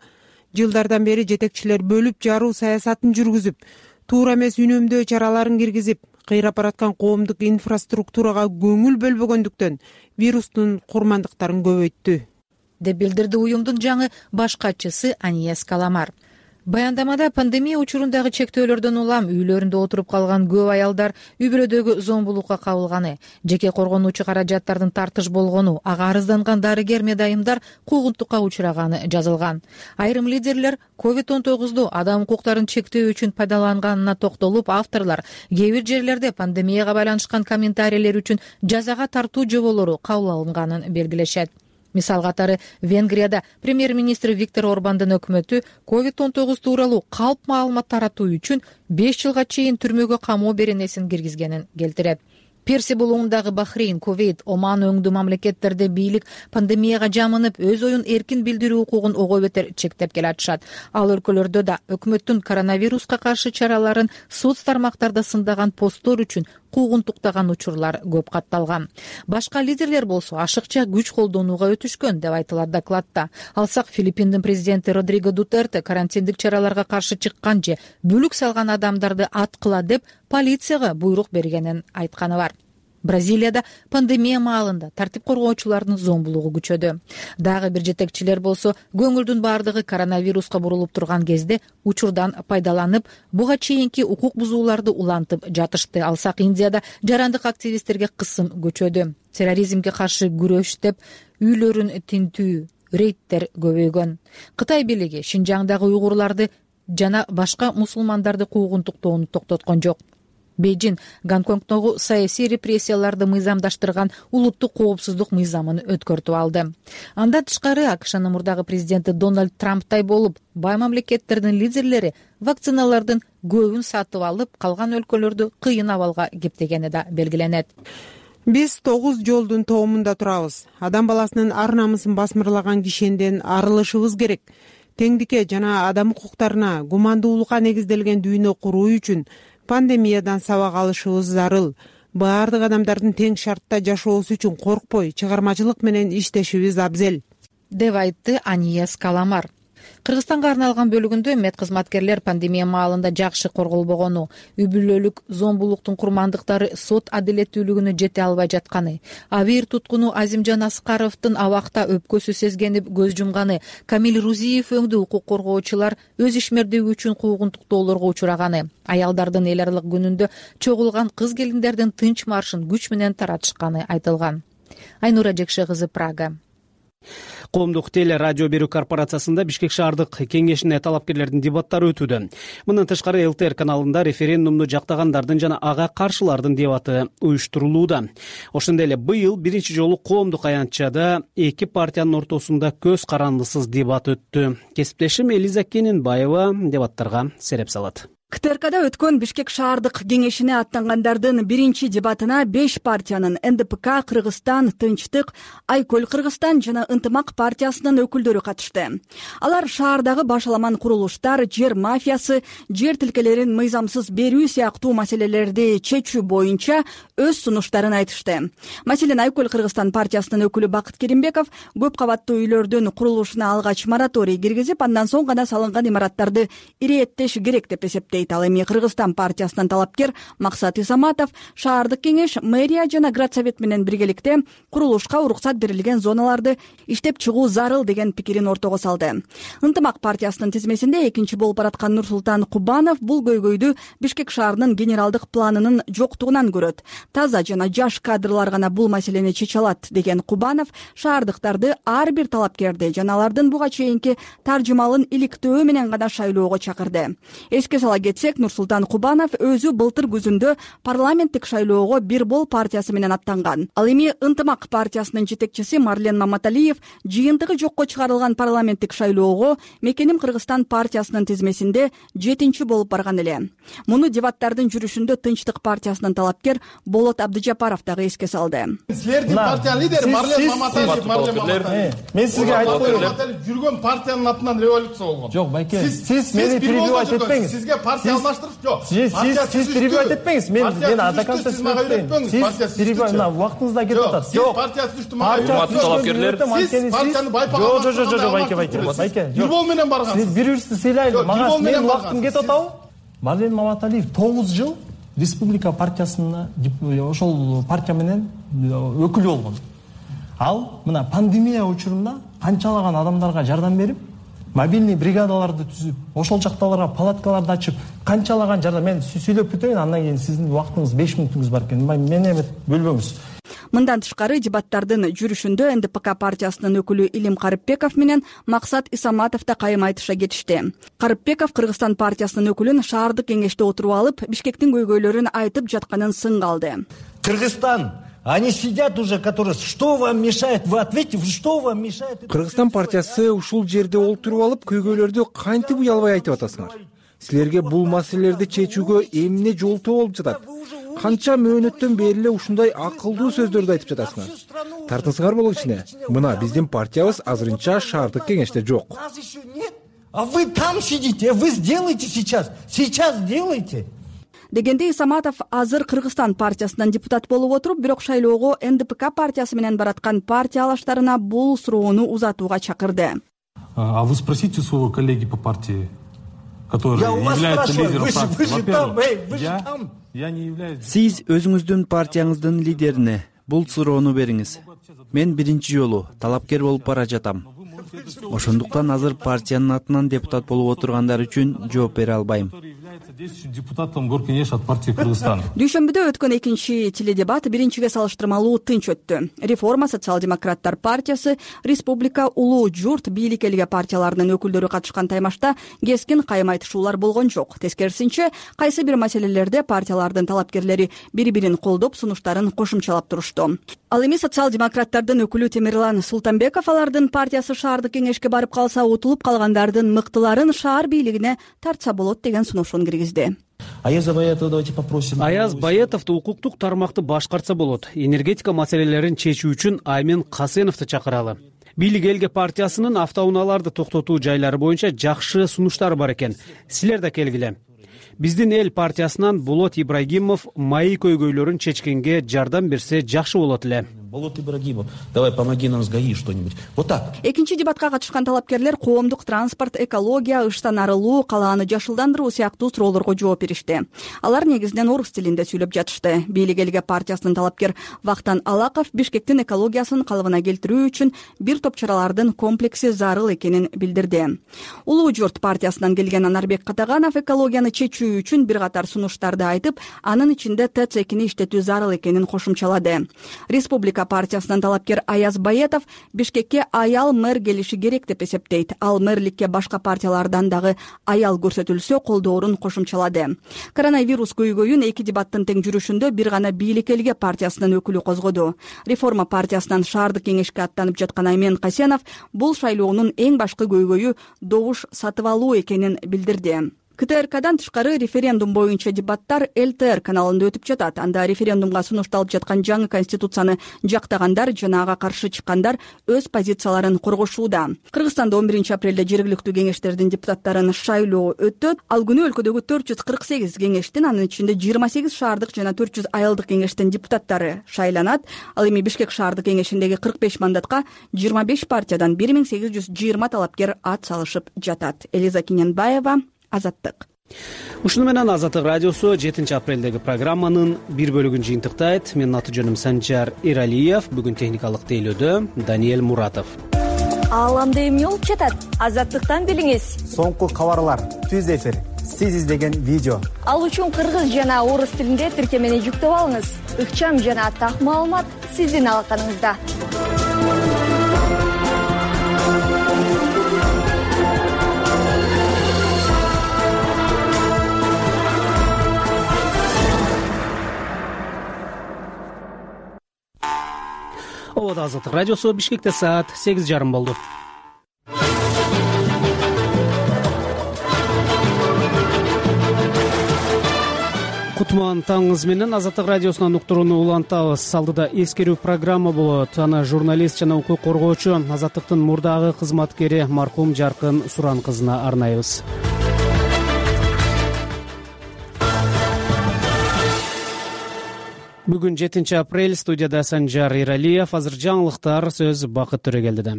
C: Жылдардан бери жетекчилер бөлүп жаруу саясатын жүргүзүп, туура эмес үнөмдөө чараларын киргизип, кыйрап бараткан коомдук инфраструктурага көңүл бөлбөгөндүктөн вирустун курмандыктарын көбөйттү,
N: деп билдирди уюмдун жаңы баш катчысы Аньес Каламар. Баяндамада пандемия учурундагы чектөөлөрдөн улам үйлөрүндө отуруп калган көп аялдар үй бүлөдөгү зомбулукка кабылганы, жеке коргонуучу каражаттардын тартыш болгону, ага арызданган дарыгер медайымдар куугунтукка учураганы жазылган. Айрым лидерлер ковид он тогузду адам укуктарын чектөө үчүн пайдаланганына токтолуп, авторлор кээ бир жерлерде пандемияга байланышкан комментарийлер үчүн жазага тартуу жоболору кабыл алынганын белгилешет. Мисал катары Венгрияда премьер-министр Виктор Орбандын өкмөтү ковид он тогуз тууралуу калп маалымат таратуу үчүн беш жылга чейин түрмөгө камоо беренесин киргизгенин келтирет. Перси булугундагы Бахрейн, Кувейт, Оман өңдүү мамлекеттерде бийлик пандемияга жамынып, өз оюн эркин билдирүү укугун ого бетер чектеп келатышат. Ал өлкөлөрдө да өкмөттүн коронавируска каршы чараларын соц тармактарда сындаган посттор үчүн куугунтуктаган учурлар көп катталган. Башка лидерлер болсо ашыкча күч колдонууга өтүшкөн деп айтылат докладта. Алсак Филиппиндин президенти Родриго Дутерте карантиндик чараларга каршы чыккан же бүлүк салган адамдарды аткыла деп полицияга буйрук бергенин айтканы бар. Бразилияда пандемия маалында тартип коргоочулардын зомбулугу күчөдү. Дагы бир жетекчилер болсо көңүлдүн бардыгы коронавируска бурулуп турган кезде учурдан пайдаланып, буга чейинки укук бузууларды улантып жатышты. Алсак Индияда жарандык активисттерге кысым көчөдү. Терроризмге каршы күрөш деп үйлөрүн тинтүү, рейдтер көбөйгөн. Кытай бийлиги Шинжаңдагы уйгурларды жана башка мусулмандарды куугунтуктоону токтоткон жок. Бейжин Гонконгдогу саясий репрессияларды мыйзамдаштырган улуттук коопсуздук мыйзамын өткөртүп алды. Андан тышкары АКШнын мурдагы президенти Дональд Трамптай болуп, бай мамлекеттердин лидерлери вакциналардын көбүн сатып алып, калган өлкөлөрдү кыйын абалга кептегени да белгиленет.
C: Биз тогуз жолдун тоомунда турабыз. Адам баласынын ар намысын басмырлаган кишенден арылышыбыз керек. Теңдикке жана адам укуктарына, гумандуулукка негизделген дүйнө куруу үчүн пандемиядан сабак алышыбыз зарыл. Баардык адамдардын тең шартта жашоосу үчүн коркпой, чыгармачылык менен иштешибиз абзел,
N: деп айтты Аньес Каламар. Кыргызстанга арналган бөлүгүндө медкызматкерлер пандемия маалында жакшы корголбогону, үй бүлөлүк зомбулуктун курмандыктары сот адилеттүүлүгүнө жете албай жатканы, Абийир туткуну Азимжан Аскаровдун абакта өпкөсү сезгенип көз жумганы, Камил Рузиев өңдүү укук коргоочулар өз ишмердиги үчүн куугунтуктоолорго учураганы, аялдардын эл аралык күнүндө чогулган кыз келиндердин тынч маршын күч менен таратышканы айтылган. Айнура Жекше кызы, Прага.
A: Коомдук теле радио берүү корпорациясында Бишкек шаардык кеңешине талапкерлердин дебаттары өтүүдө. Мындан тышкары ЛТР каналында референдумду жактагандардын жана ага каршылардын дебаты уюштурулууда. Ошондой эле быйыл биринчи жолу коомдук аянтчада эки партиянын ортосунда көз карандысыз дебат өттү. Кесиптешим Элиза Кененбаева дебаттарга сереп салат.
F: КТРКда өткөн Бишкек шаардык кеңешине аттангандардын биринчи дебатына беш партиянын Н Д П К, Кыргызстан, Тынчтык, Айкөл Кыргызстан жана Ынтымак партиясынын өкүлдөрү катышты. Алар шаардагы башаламан курулуштар, жер мафиясы, жер тилкелерин мыйзамсыз берүү сыяктуу маселелерди чечүү боюнча өз сунуштарын айтышты. Маселен, Айкөл Кыргызстан партиясынын өкүлү Бакыт Керимбеков көп кабаттуу үйлөрдүн курулушуна алгач мораторий киргизип, андан соң гана салынган имараттарды ирэеттеш керек деп эсептейт. дейт. Ал эми Кыргызстан партиясынын талапкер Максат Исаматов шаардык кеңеш, мэрия жана Градсовет менен биргеликте курулушка уруксат берилген зоналарды иштеп чыгуу зарыл деген пикирин ортого салды. Ынтымак партиясынын тизмесинде экинчи болуп бараткан Нурсултан Кубанов бул көйгөйдү Бишкек шаарынын генералдык планынын жоктугунан көрөт. Таза жана жаш кадрлар гана бул маселени чече алат деген Кубанов шаардыктарды ар бир талапкерди жана алардын буга чейинки таржымалын иликтөө менен гана шайлоого чакырды. Эске сала кетсек, Нурсултан Кубанов өзү былтыр күзүндө парламенттик шайлоого Бир бол партиясы менен аттанган. Ал эми Ынтымак партиясынын жетекчиси Марлен Маматалиев жыйынтыгы жокко чыгарылган парламенттик шайлоого Мекеним Кыргызстан партиясынын тизмесинде жетинчи болуп барган эле. Муну дебаттардын жүрүшүндө Тынчтык партиясынын талапкер Болот Абдыжапаров дагы эске салды.
O: Силердин партиянын лидери Марлен Маматалиев, Марлен Маматалиев. Мен сизге айтып коеюн. Жүргөн партиянын атынан революция болгон.
P: Жок, байке. Сиз мени перебивать этпеңиз.
O: Сизге партия алмаштырып жок.
P: Сиз сиз перебивать этпеңиз. Мен мен адакатты сөйлөйм. Сиз перебивать, мына вактыңызда кетип атат.
O: Жок, партия түштү мага.
P: Урматтуу талапкерлер,
O: сиз партияны байпаган.
P: Жок, жок, жок, байке, байке. Байке.
O: Бир бол менен барган.
P: Сиз бири биринизди сыйлайлы. Мага менин убактым кетип атабы? Марлен Маматалиев тогуз жыл республика партиясына ошол партия менен өкүл болгон. Ал мына пандемия учурунда канчалаган адамдарга жардам берип, мобильный бригадаларды түзүп, ошол жакталарга палаткаларды ачып, канчалаган жардам. Мен сүйлөп бүтөйүн, андан кийин сиздин убактыңыз беш мүнөтүңүз бар экен. Мени эме бөлбөңүз.
F: Мындан тышкары дебаттардын жүрүшүндө Эн Ди Пи Ка партиясынын өкүлү Илим Карыпбеков менен Максат Исаматов да кайым айтыша кетишти. Карыпбеков Кыргызстан партиясынын өкүлүн шаардык кеңеште отуруп алып, Бишкектин көйгөйлөрүн айтып жатканын сынга алды.
Q: Кыргызстан, они сидят уже, которые, что вам мешает, вы ответьте, что вам мешает?
G: Кыргызстан партиясы ушул жерде олтуруп алып, көйгөйлөрдү кантип уялбай айтып атасыңар? Силерге бул маселелерди чечүүгө эмне жолтоо болуп жатат? Канча мөөнөттөн бери эле ушундай акылдуу сөздөрдү айтып жатасыңар? Тартыңыздар болот ичине. Мына биздин партиябыз азырынча шаардык кеңеште жок.
Q: А вы там сидите, вы сделайте сейчас, сейчас сделайте.
F: Дегенде Исаматов азыр Кыргызстан партиясынан депутат болуп отуруп, бирок шайлоого Эн Ди Пи Ка партиясы менен бараткан партия алаштарына бул суроону узатууга чакырды.
E: А вы спросите своего коллеги по партии, который является лидером партии. Во-первых, я не являюсь.
R: Сиз өзүңүздүн партияңыздын лидерине бул суроону бериңиз. Мен биринчи жолу талапкер болуп бара жатам. Ошондуктан азыр партиянын атынан депутат болуп отургандар үчүн жооп бере албайм.
E: Депутатом Горкенеш от партии Кыргызстан.
F: Дүйшөмбүдө өткөн экинчи теледебат биринчиге салыштырмалуу тынч өттү. Реформа, Социал-демократтар партиясы, Республика, Улуу журт, Бийлик элге партияларынын өкүлдөрү катышкан таймашта кескин кайым айтышуулар болгон жок. Тескерисинче, кайсы бир маселелерде партиялардын талапкерлери бири-бирин колдоп, сунуштарын кошумчалап турушту. Ал эми социал-демократтардын өкүлү Темирлан Султанбеков алардын партиясы шаардык кеңешке барып калса, утулуп калгандардын мыктыларын шаар бийлигине тартса болот деген сунушун киргизди.
A: Аяз Баятовду давайте попросим. Аяз Баятовду укуктук тармакты башкарса болот. Энергетика маселелерин чечүү үчүн Аймен Касеновду чакыралы. Бийлик элге партиясынын автоунааларды токтотуу жайлары боюнча жакшы сунуштары бар экен. Силер да келгиле. Биздин эл партиясынан Болот Ибрагимов майы көйгөйлөрүн чечкенге жардам берсе жакшы болот эле.
P: Болот Ибрагимов, давай помоги нам с ГАИ что-нибудь. Вот так.
F: Экинчи дебатка катышкан талапкерлер коомдук транспорт, экология, ыштан арылуу, калааны жашылдандыруу сыяктуу суроолорго жооп беришти. Алар негизинен орус тилинде сүйлөп жатышты. Бийлик элге партиясынын талапкер Вахтан Алаков Бишкектин экологиясын калыбына келтирүү үчүн бир топ чаралардын комплекси зарыл экенин билдирди. Улуу журт партиясынан келген Анарбек Катаганов экологияны чечүү үчүн бир катар сунуштарды айтып, анын ичинде ТЭЦ экини иштетүү зарыл экенин кошумчалады. Республика партиясынын талапкер Аяз Баятов Бишкекке аял мэр келиши керек деп эсептейт. Ал мэрликке башка партиялардан дагы аял көрсөтүлсө колдоорун кошумчалады. Коронавирус көйгөйүн эки дебаттын тең жүрүшүндө бир гана Бийлик элге партиясынын өкүлү козгоду. Реформа партиясынан шаардык кеңешке аттанып жаткан Аймен Касенов бул шайлоонун эң башкы көйгөйү добуш сатып алуу экенин билдирди. К Т Р Кдан тышкары референдум боюнча дебаттар Л Т Р каналында өтүп жатат. Анда референдумга сунушталып жаткан жаңы конституцияны жактагандар жана ага каршы чыккандар өз позицияларын коргошууда. Кыргызстанда он биринчи апрелде жергиликтүү кеңештердин депутаттарын шайлоо өтөт. Ал күнү өлкөдөгү төрт жүз кырк сегиз кеңештин, анын ичинде жыйырма сегиз шаардык жана төрт жүз айылдык кеңештин депутаттары шайланат. Ал эми Бишкек шаардык кеңешиндеги кырк беш мандатка жыйырма беш партиядан бир миң сегиз жүз жыйырма талапкер ат салышып жатат. Элиза Киненбаева, Азаттык.
A: ушуну менен Азаттык радиосу жетинчи апрелдеги программанын бир бөлүгүн жыйынтыктайт. Менин аты жөнүм Санжар Эралиев. Бүгүн техникалык тейлөөдө Даниэль Муратов.
S: Ааламды эмне болуп жатат? Азаттыктан билиңиз.
T: Соңку кабарлар, түз эфир, сиз издеген видео.
S: Ал үчүн кыргыз жана орус тилинде тиркемени жүктөп алыңыз. Ыкчам жана так маалымат сиздин алаканыңызда.
A: Обода Азаттык радиосу. Бишкекте саат сегиз жарым болду. Кутман таңыңыз менен Азаттык радиосунан уктурууну улантабыз. Алдыда эскерүү программа болот. Аны журналист жана укук коргоочу Азаттыктын мурдагы кызматкери маркум Жаркын Суран кызына арнайбыз. Бүгүн жетинчи апрель, студияда Санжар Эралиев. Азыр жаңылыктар, сөз Бакыт Төрөгелдиде.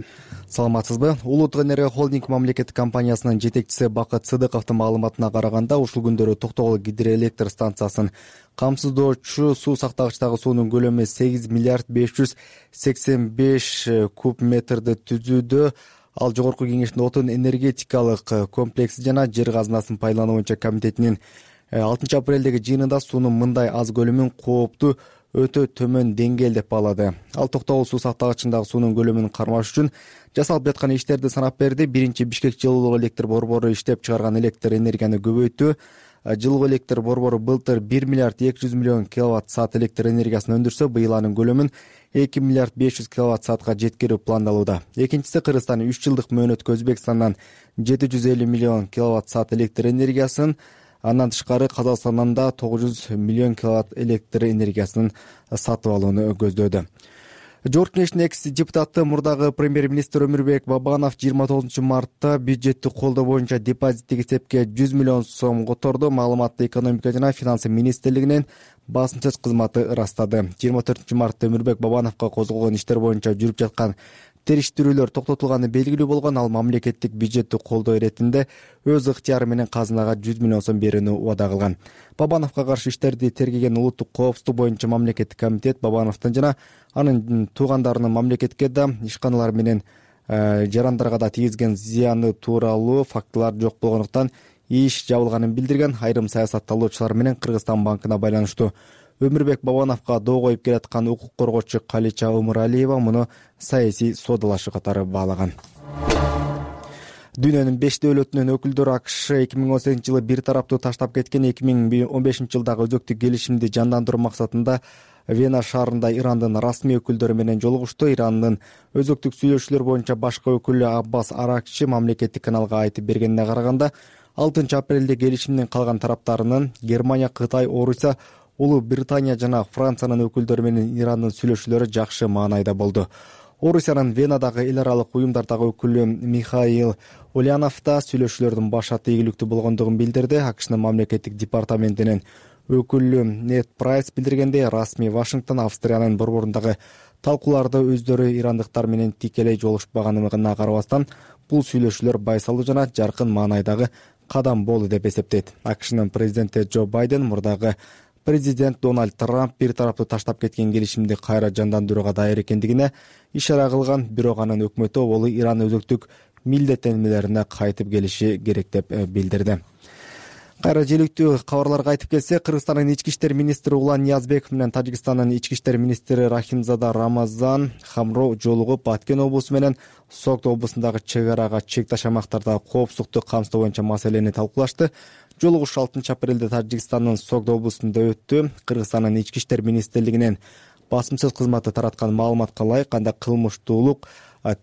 D: Саламатсызбы? Улуттук энергия холдинг мамлекеттик компаниясынын жетекчиси Бакыт Сыдыковдун маалыматына караганда, ушул күндөрү Токтогул гидроэлектр станциясын камсыздоочу суу сактагычтагы суунун көлөмү сегиз миллиард беш жүз сексен беш куб метрди түзүүдө. Ал Жогорку Кеңештин отун энергетикалык комплекси жана жер казынасын пайдалануу боюнча комитетинин алтынчы апрелдеги жыйынында суунун мындай аз көлөмүн кооптуу өтө төмөн деңгээл деп баалады. Ал Токтогул суу сактагычындагы суунун көлөмүн кармаш үчүн жасалып жаткан иштерди санап берди. Биринчи Бишкек жылуулук электр борбору иштеп чыгарган электр энергияны көбөйттү. Жылуу электр борбору былтыр бир миллиард эки жүз миллион киловатт саат электр энергиясын өндүрсө, быйыл анын көлөмүн эки миллиард беш жүз киловатт саатка жеткирүү пландалууда. Экинчиси Кыргызстан үч жылдык мөөнөткө Өзбекстандан жети жүз элүү миллион киловатт саат электр энергиясын, андан тышкары Казакстандан да тогуз жүз миллион киловатт электр энергиясын сатып алууну көздөөдө. Жогорку Кеңештин экс депутаты мурдагы премьер-министр Өмүрбек Бабанов жыйырма тогузунчу мартта бюджетти колдоо боюнча депозиттик эсепке жүз миллион сом которду. Маалыматты экономика жана финансы министрлигинин басым сөз кызматы ырастады. жыйырма төртүнчү мартта Өмүрбек Бабановго козголгон иштер боюнча жүрүп жаткан териштирүүлөр токтотулганы белгилүү болгон. Ал мамлекеттик бюджетти колдоо иретинде өз ыктыяры менен казынага жүз миллион сом берүүнү убада кылган. Бабановго каршы иштерди тергеген улуттук коопсуздук боюнча мамлекеттик комитет Бабановдун жана анын туугандарынын мамлекетке да, ишканалар менен жарандарга да тийгизген зыяны тууралуу фактылар жок болгондуктан иш жабылганын билдирген. Айрым саясатталуучулар менен Кыргызстан банкына байланыштуу Өмүрбек Бабановго доо коюп келаткан укук коргоочу Калича Омуралиева муну саясий соодалашы катары баалаган. Дүйнөнүн беш дөөлөтүнүн өкүлдөрү АКШ эки миң он сегизинчи жылы бир тараптуу таштап кеткен эки миң он бешинчи жылдагы өзөктүк келишимди жандандыруу максатында Вена шаарында Ирандын расмий өкүлдөрү менен жолугушту. Ирандын өзөктүк сүйлөшүүлөр боюнча башкы өкүлү Аббас Аракчы мамлекеттик каналга айтып бергенине караганда, алтынчы апрелде келишимдин калган тараптарынын Германия, Кытай, Орусия, Улуу Британия жана Франциянын өкүлдөрү менен Ирандын сүйлөшүүлөрү жакшы маанайда болду. Орусиянын Венадагы эл аралык уюмдардагы өкүлү Михаил Ульянов да сүйлөшүүлөрдүн башаты ийгиликтүү болгондугун билдирди. АКШнын мамлекеттик департаментинин өкүлү Нет Прайс билдиргендей, расмий Вашингтон Австриянын борборундагы талкууларда өздөрү ирандыктар менен тикелей жолугушпаганына карабастан, бул сүйлөшүүлөр байсалуу жана жаркын маанайдагы кадам болду деп эсептейт. АКШнын президенти Джо Байден мурдагы президент Дональд Трамп бир тараптуу таштап кеткен келишимди кайра жандандырууга даяр экендигине ишара кылган, бирок анын өкмөтү ол Иран өзөктүк милдеттенмелерине кайтып келиши керек деп билдирди. Кайра желектүү кабарларга айтып келсе, Кыргызстандын ички иштер министри Улан Ниязбеков менен Тажикстандын ички иштер министри Рахимзада Рамазан Хамро жолугуп, Баткен облусу менен Согд облусундагы чек арага чек ташамактарда коопсуздукту камсыздоо боюнча маселени талкуулашты. Жолугуш алтынчы апрелде Тажикстандын Согд облусунда өттү. Кыргызстандын ички иштер министрлигинин басым сөз кызматы тараткан маалыматка ылайык, анда кылмыштуулук,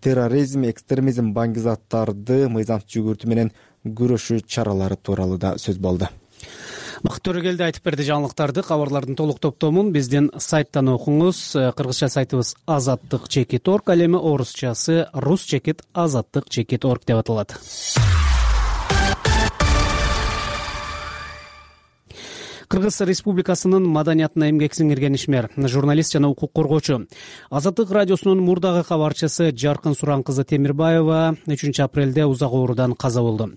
D: терроризм, экстремизм, баңгизаттарды мыйзамсыз жүгүртүү менен күрөшүү чаралары тууралуу да сөз болду.
A: Бакыт Төрөгелди айтып берди жаңылыктарды. Кабарлардын толук топтомун биздин сайттан окуңуз. Кыргызча сайтыбыз азаттык чекит орг, ал эми орусчасы рус чекит азаттык чекит орг деп аталат. Кыргыз Республикасынын маданиятына эмгек сиңирген ишмер, журналист жана укук коргоочу, Азаттык радиосунун мурдагы кабарчысы Жаркын Суран кызы Темирбаева үчүнчү апрелде узак оорудан каза болду.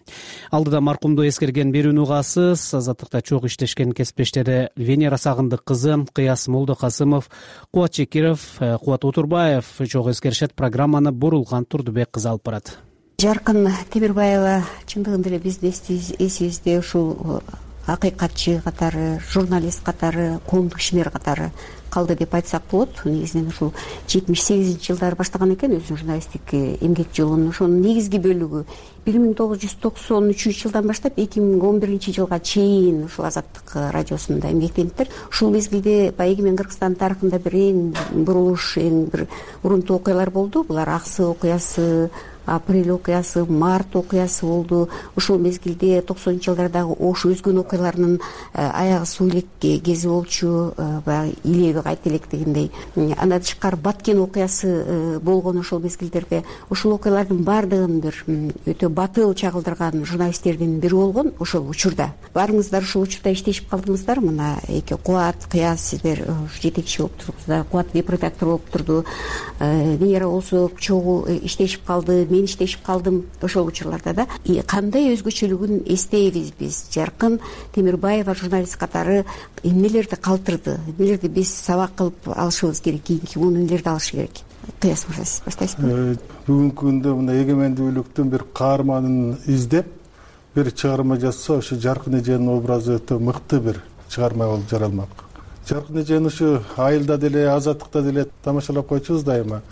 A: Алдыда маркумду эскерген берүүнү угасыз, Азаттыкта чогуу иштешкен кесиптештери Венера Сагындык кызы, Кыяс Молдокасымов, Кубат Чекиров, Кубат Утурбаев чогуу эскеришет. Программаны Бурулган Турдубек кызы алып барат.
U: Жаркын Темирбаева чындыгында эле биздин эсибизде ушул акыйкатчы катары, журналист катары, коомдук ишмер катары калды деп айтсак болот. Негизинен ушул жетимиш сегизинчи жылдары баштаган экен өзүнүн журналисттик эмгек жолун. Ошонун негизги бөлүгү бир миң тогуз жүз токсон үчүнчү жылдан баштап эки миң он биринчи жылга чейин ушул Азаттык радиосунда эмгектениптир. Ушул мезгилде баягы эгемен Кыргызстан тарыхында бир эң бурулуш, эң бир урунтуу окуялар болду. Булар Аксы окуясы, Апрель окуясы, Март окуясы болду. Ушул мезгилде токсонунчу жылдардагы Ош өзгөн окуяларынын аягы суу элек кези болчу, баягы илеби кайта элек дегендей. Андан тышкары Баткен окуясы болгон ошол мезгилдерде. Ушул окуялардын баардыгын бир өтө батыл чагылдырган журналисттердин бири болгон ошол учурда. Баарыңыздар ушул учурда иштешип калдыңыздар. Мына эки Кубат, Кыяс сиздер жетекчи болуп турдуңуздар, Кубат депредактор болуп турду. Венера болсо чогуу иштешип калды. Мен иштешип калдым ошол учурларда да. Кандай өзгөчөлүгүн эстейбиз биз? Жаркын Темирбаева журналист катары эмнелерди калтырды? Эмнелерди биз сабак кылып алышыбыз керек? Кийинки муну эмнелерди алыш керек? Кыяс мырза, сиз баштайсызбы?
O: Бүгүнкү күндө мына эгемендүүлүктүн бир каарманын издеп бир чыгарма жазса, ошо Жаркын эженин образы өтө мыкты бир чыгарма болуп жаралмак. Жаркын эжени ушу айылда деле, Азаттыкта деле тамашалап койчубуз дайыма.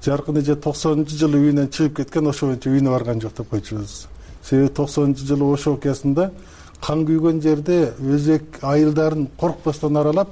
O: Жаркын эже токсонунчу жылы үйүнөн чыгып кеткен, ошо боюнча үйүнө барган жок деп койчубуз. Себеби токсонунчу жылы Ош окуясында кан күйгөн жерде өзек айылдарын коркпостон аралап,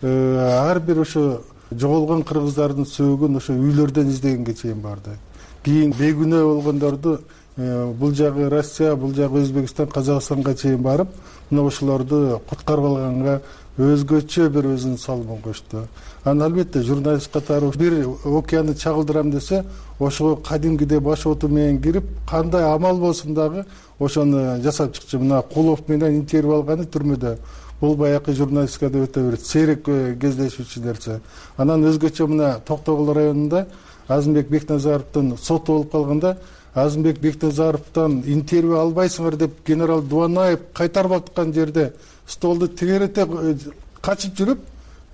O: ар бир ошо жоголгон кыргыздардын сөөгүн ошо үйлөрдөн издегенге чейин барды. Кийин бейгүнөө болгондорду бул жагы Россия, бул жагы Өзбекстан, Казакстанга чейин барып, мына ошолорду куткарып алганга өзгөчө бир өзүнүн салымын кошту. Анан албетте журналист катары бир окуяны чагылдырам десе, ошого кадимкидей баш оту менен кирип, кандай амал болсун дагы ошону жасап чыкчу. Мына Кулов менен интервью алганы түрмөдө. Бул баягы журналистикада өтө бир сейрек кездешүүчү нерсе. Анан өзгөчө мына Токтогул районунда Азымбек Бекназаровдун соту болуп калганда, Азымбек Бекназаровдон интервью албайсыңар деп генерал Дуанаев кайтарып аткан жерде столду тегерете качып жүрүп,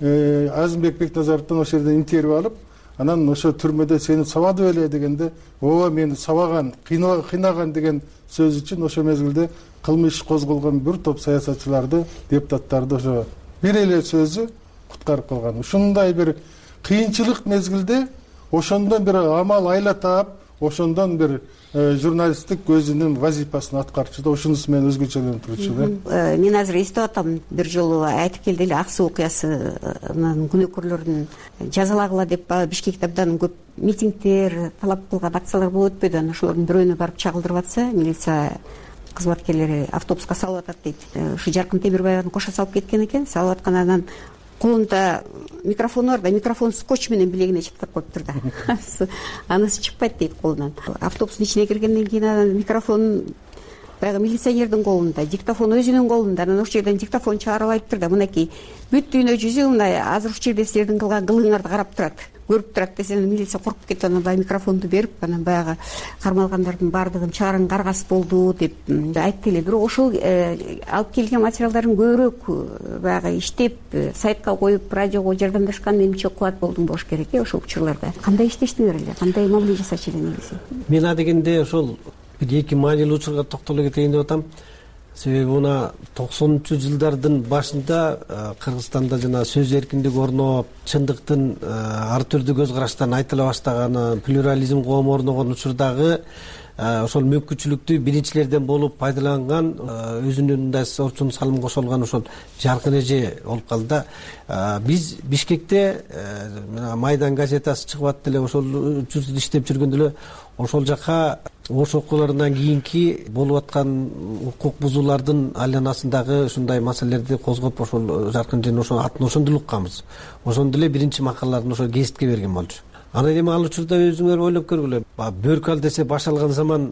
O: Азымбек Бекназаровдон ошол жерде интервью алып, анан ошо түрмөдө сени сабады беле дегенде, ооба мени сабаган, кыйнаган деген сөз үчүн ошо мезгилде кылмыш козголгон бир топ саясатчыларды, депутаттарды ошо бир эле сөзү куткарып калган. Ушундай бир кыйынчылык мезгилде ошондон бир амал айла таап, ошондон бир журналисттик өзүнүн вазифасын аткарчу да, ушунусу менен өзгөчөлөнүп турчу да.
U: Мен азыр эстеп атам, бир жолу айтып келди эле Аксы окуясынын күнөөкөрлөрүн жазалагыла деп Бишкекте абдан көп митингдер, талап кылган акциялар болуп өтпөдү. Анан ошолордун бирөөнө барып чагылдырып атса, милиция кызматкерлери автобуска салып атат дейт. Ушу Жаркын Темирбаеваны кошо салып кеткен экен, салып аткан, анан колунда микрофону бар да, микрофон скотч менен билегине чыптап коюптур да. Анысы чыкпайт дейт колунан. Автобустун ичине киргенден кийин анан микрофон баягы милиционердин колунда, диктофон өзүнүн колунда. Анан ошол жерден диктофон чыгарып айтыптыр да, мынакей бүт дүйнө жүзү мына азыр ушул жерде силердин кылган кылыгыңарды карап турат, көрүп турат десе, милиция коркуп кетип, анан баягы микрофонду берип, анан баягы кармалгандардын баардыгын чыгарың каргас болду деп айтты эле. Бирок ошол алып келген материалдарын көбүрөөк баягы иштеп, сайтка коюп, радиого жардамдашкан менимче кубат болдуң болуш керек э ошол учурларда. Кандай иштештиңер эле, кандай мамиле жасачу эле негизи?
V: Мен адегенде ошол бир эки маанилүү учурга токтоло кетейин деп атам. Себеби мына токсонунчу жылдардын башында Кыргызстанда жана сөз эркиндиги орноп, чындыктын ар түрдүү көз караштан айтыла баштаганы, плюрализм коому орногон учурдагы ошол мүмкүнчүлүктү биринчилерден болуп пайдаланган, өзүнүн мындай орчун салым кошо алган ошол Жаркын эже болуп калды да. Биз Бишкекте Майдан газетасы чыгып атты эле, ошол учурда иштеп жүргөндө эле ошол жака Ош окууларынан кийинки болуп аткан укук бузуулардын айланасындагы ушундай маселелерди козгоп, ошол Жаркын эженин ошол атын ошондо эле укканбыз. Ошондо эле биринчи макалаларын ошол гезитке берген болчу. анан эми ал учурда өзүңөр ойлоп көргүлө, бөркү ал десе баш алган заман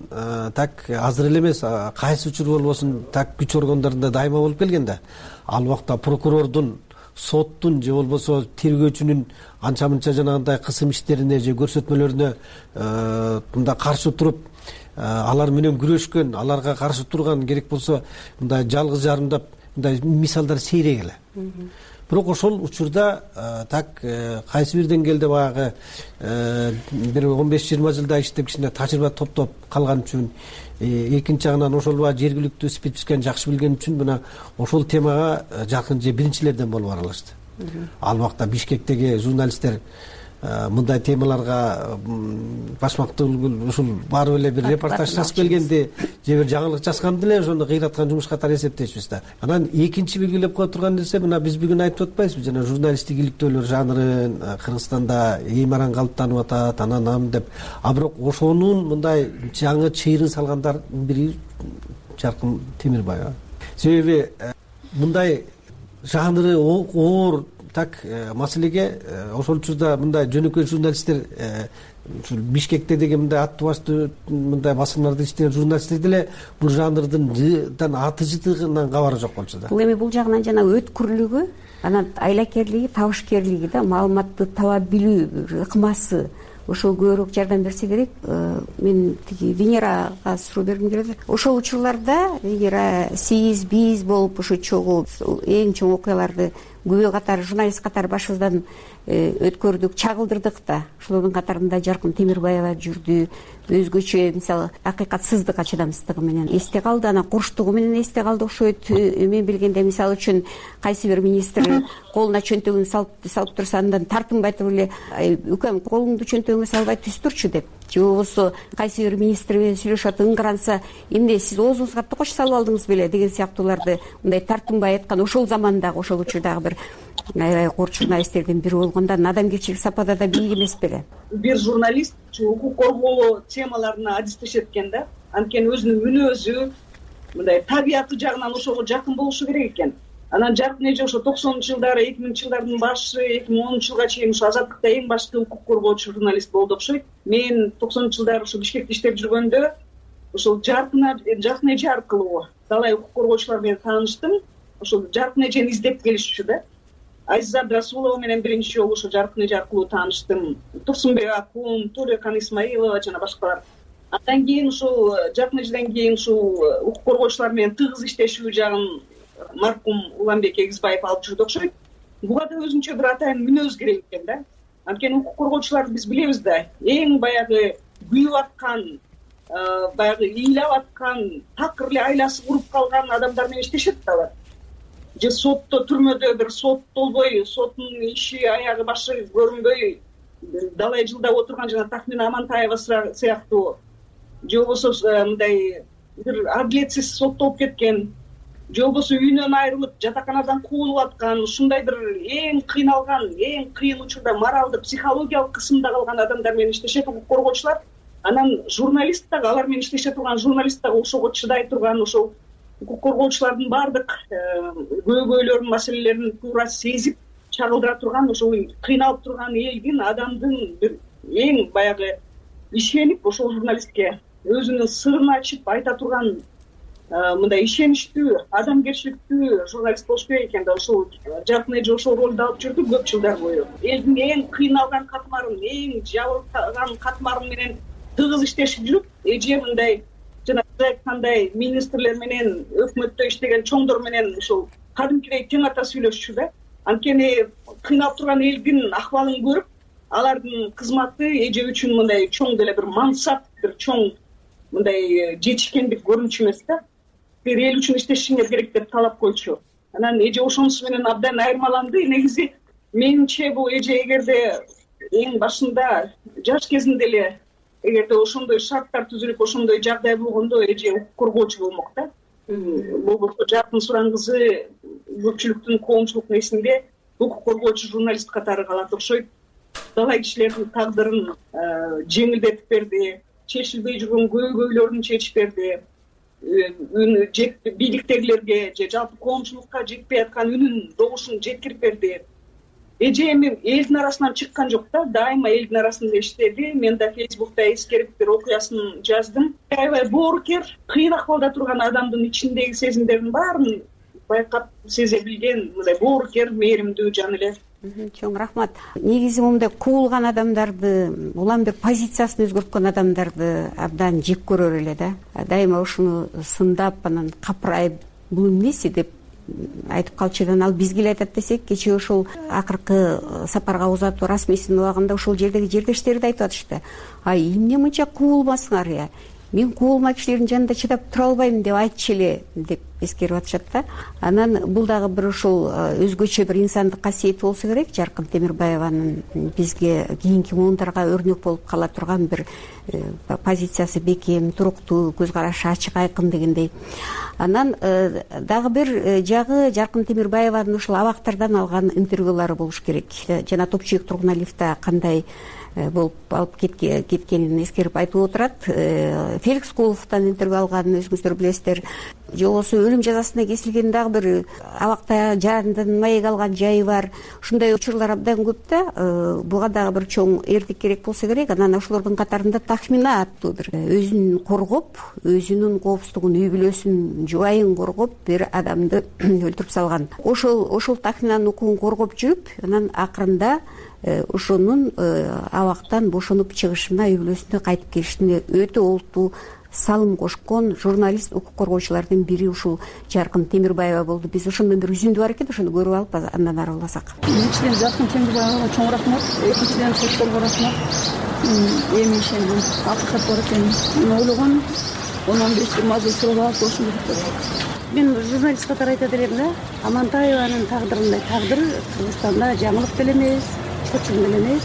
V: так азыр эле эмес, кайсы учур болбосун так күч органдарында дайыма болуп келген да. Ал убакта прокурордун, соттун же болбосо тергөөчүнүн анча мынча жанагындай кысым иштерине же көрсөтмөлөрүнө мындай каршы туруп алар менен күрөшкөн, аларга каршы турган, керек болсо мындай жалгыз жарымдап мындай мисалдар сейрек эле. Бирок ошол учурда так кайсы бир деңгээлде баягы бир он беш жыйырма жылда иштеп кичине тажрыйба топтоп калган үчүн, экинчи жагынан ошол баягы жергиликтүү спецификаны жакшы билген үчүн мына ошол темага жакын же биринчилерден болуп аралашты. Ал убакта Бишкектеги журналисттер мындай темаларга башмактуу ушул барып эле бир репортаж жазып келгенди же бир жаңылык жазганды эле ошону кыйраткан жумуш катары эсептейбиз да. Анан экинчи белгилеп кое турган нерсе, мына биз бүгүн айтып атпайбызбы, жана журналисттик иликтөөлөр жанрын Кыргызстанда эң араң калыптанып атат, анан ам деп. А бирок ошонун мындай жаңы чыйрын салгандардын бири Жаркын Темирбаева. Себеби мындай жанры оор так маселеге ошол учурда мындай жөнөкөй журналисттер, ушул Бишкекте деген мындай аттуу баштуу мындай басылмаларда иштеген журналисттер деле бул жанрдын аты жытыгынан кабары жок болчу да.
U: Бул эми бул жагынан жана өткүрлүгү, анан айлакерлиги, табышкерлиги да, маалыматты таба билүү ыкмасы ошол көбүрөөк жардам берсе керек. Мен тиги Венерага суроо бергим келет. Ошол учурларда Венера сиз биз болуп ушу чогуу эң чоң окуяларды күбө катары, журналист катары башыбыздан өткөрдүк, чагылдырдык да. Ошолордун катарында Жаркын Темирбаева жүрдү. Өзгөчө мисалы акыйкатсыздык чыдамсыздыгы менен эсте калды, анан курчтугу менен эсте калды окшойт. Мен билгенде мисалы үчүн кайсы бир министр колуна чөнтөгүн салып салып турса, андан тартынбай туруп эле үкөм колуңду чөнтөгүңө салбай түз турчу деп, же болбосо кайсы бир министр менен сүйлөшүп ыңгыранса, эмне сиз оозуңузга токоч салып алдыңыз беле деген сыяктууларды мындай тартынбай айткан ошол замандагы, ошол учурдагы бир аябай кор журналисттердин бири болгондо надамгерчилик сапада да бийик эмес беле.
H: Бир журналист укук коргоо темаларына адистешет экен да. Анткени өзүнүн мүнөзү, мындай табияты жагынан ошого жакын болушу керек экен. Анан Жаркын эже ошо токсонунчу жылдары, эки миңинчи жылдардын башы, эки миң онунчу жылга чейин ошо Азаттыкта эң башкы укук коргоочу журналист болду окшойт. Мен токсонунчу жылдары ошо Бишкекте иштеп жүргөндө ошол Жаркын Жаркын эже аркылуу талай укук коргоочулар менен тааныштым. Ошол Жаркын эжени издеп келишчү да. Айза Абдрасулова менен биринчи жолу ошо Жаркын эже аркылуу тааныштым. Турсунбек Акун, Тулекан Исмаилова жана башкалар. Андан кийин ушул Жаркын эжеден кийин ушул укук коргоочулар менен тыгыз иштешүү жагын маркум Уланбек Эгизбаев алып жүрдү окшойт. Буга да өзүнчө бир атайын мүнөз керек экен да. Анткени укук коргоочуларды биз билебиз да, эң баягы күйүп аткан, баягы ыйлап аткан, такыр эле айласы куруп калган адамдар менен иштешет да алар. Же сотто, түрмөдө бир соттолбой, соттун иши аягы башы көрүнбөй далай жылдап отурган жана Тахмина Амантаева сыяктуу, же болбосо мындай бир адилетсиз соттолуп кеткен, же болбосо үйүнөн айрылып жатаканадан куулуп аткан, ушундай бир эң кыйналган, эң кыйын учурда моралдык, психологиялык кысымда калган адамдар менен иштешет укук коргоочулар. Анан журналист дагы, алар менен иштеше турган журналист дагы ошого чыдай турган, ошол укук коргоочулардын баардык көйгөйлөрүн, маселелерин туура сезип чагылдыра турган, ошол кыйналып турган элдин, адамдын бир эң баягы ишенип ошол журналистке өзүнүн сырын ачып айта турган мындай ишеничтүү, адамгерчиликтүү журналист болуш керек экен да. Ошол Жаркын эже ошол ролду алып жүрдү көп жылдар бою. Элдин эң кыйналган катмарын, эң жабыркаган катмарын менен тыгыз иштешип жүрүп, эже мындай жана сиз айткандай министрлер менен, өкмөттө иштеген чоңдор менен ушул кадимкидей тең ата сүйлөшчү да. Анткени кыйналып турган элдин акыбалын көрүп, алардын кызматы эже үчүн мындай чоң деле бир мансап, бир чоң мындай жетишкендик көрүнчү эмес да. Бир эл үчүн иштешиңер керек деп талап койчу. Анан эже ошонусу менен абдан айырмаланды. Негизи менимче бул эже эгерде эң башында жаш кезинде эле эгерде ошондой шарттар түзүлүп, ошондой жагдай болгондо эже укук коргоочу болмок да. Болбосо Жаркын Суран кызы көпчүлүктүн, коомчулуктун эсинде укук коргоочу журналист катары калат окшойт. Далай кишилердин тагдырын жеңилдетип берди, чечилбей жүргөн көйгөйлөрүн чечип берди. Бийликтегилерге же жалпы коомчулукка жетпей аткан үнүн, добушун жеткирип берди. эжемим элдин арасынан чыккан жок да, дайыма элдин арасында иштеди. Мен да Фейсбукта эскерип бир окуясын жаздым. Аябай боорукер, кыйын акыбалда турган адамдын ичиндеги сезимдердин баарын байкап сезе билген, мындай боорукер, мээримдүү жан эле.
U: Чоң рахмат. Негизи мындай куулган адамдарды, улам бир позициясын өзгөрткөн адамдарды абдан жек көрөр эле да. Дайыма ушуну сындап, анан капырайып, бул эмнеси деп айтып калчудан ал бизге эле айтат десек, кечээ ошол акыркы сапарга узатуу расмийсинин убагында ошол жердеги жердештери да айтып атышты. Ай, эмне мынча куулмасыңар я? Мен куулма кишилердин жанында чыдап тура албайм деп айтчу эле деп эскерип атышат да. Анан бул дагы бир ошол өзгөчө бир инсандык касиети болсо керек. Жаркын Темирбаеванын бизге кийинки муундарга өрнөк болуп кала турган бир позициясы бекем, туруктуу, көз карашы ачык, айкын дегендей. Анан дагы бир жагы Жаркын Темирбаеванын ушул абактардан алган интервьюлары болуш керек. Жана Топчуек тургун лифтте кандай болуп алып кеткенин эскерип айтып отурат. Феликс Куловдон интервью алганын өзүңүздөр билесиздер. Же болбосо өлүм жазасына кесилген дагы бир абакта жандан маек алган жайы бар. Ушундай учурлар абдан көп да. Буга дагы бир чоң эрдик керек болсо керек. Анан ошолордун катарында Тахмина аттуу бир өзүн коргоп, өзүнүн коопсуздугун, үй бүлөсүнүн, жубайын коргоп бир адамды өлтүрүп салган. Ошол ошол Тахминанын укугун коргоп жүрүп, анан акырында ошонун абактан бошонуп чыгышына, үй бүлөсүнө кайтып келишине өтө олуттуу салым кошкон журналист, укук коргоочулардын бири ушул Жаркын Темирбаева болду. Биз ошондон бир үзүндү бар экен, ошону көрүп алып андан ары уласак.
B: Биринчиден Жаркын Темирбаевага чоң рахмат, экинчиден сотторго рахмат. Эми ишендим, акыйкат бар экенин. Мен ойлогом он он беш жыйырма жыл сурап болушу керек. Мен журналист катары айтат элем да, Амантаеванын тагдырындай тагдыр Кыргызстанда жаңылык деле эмес, чочун деле эмес.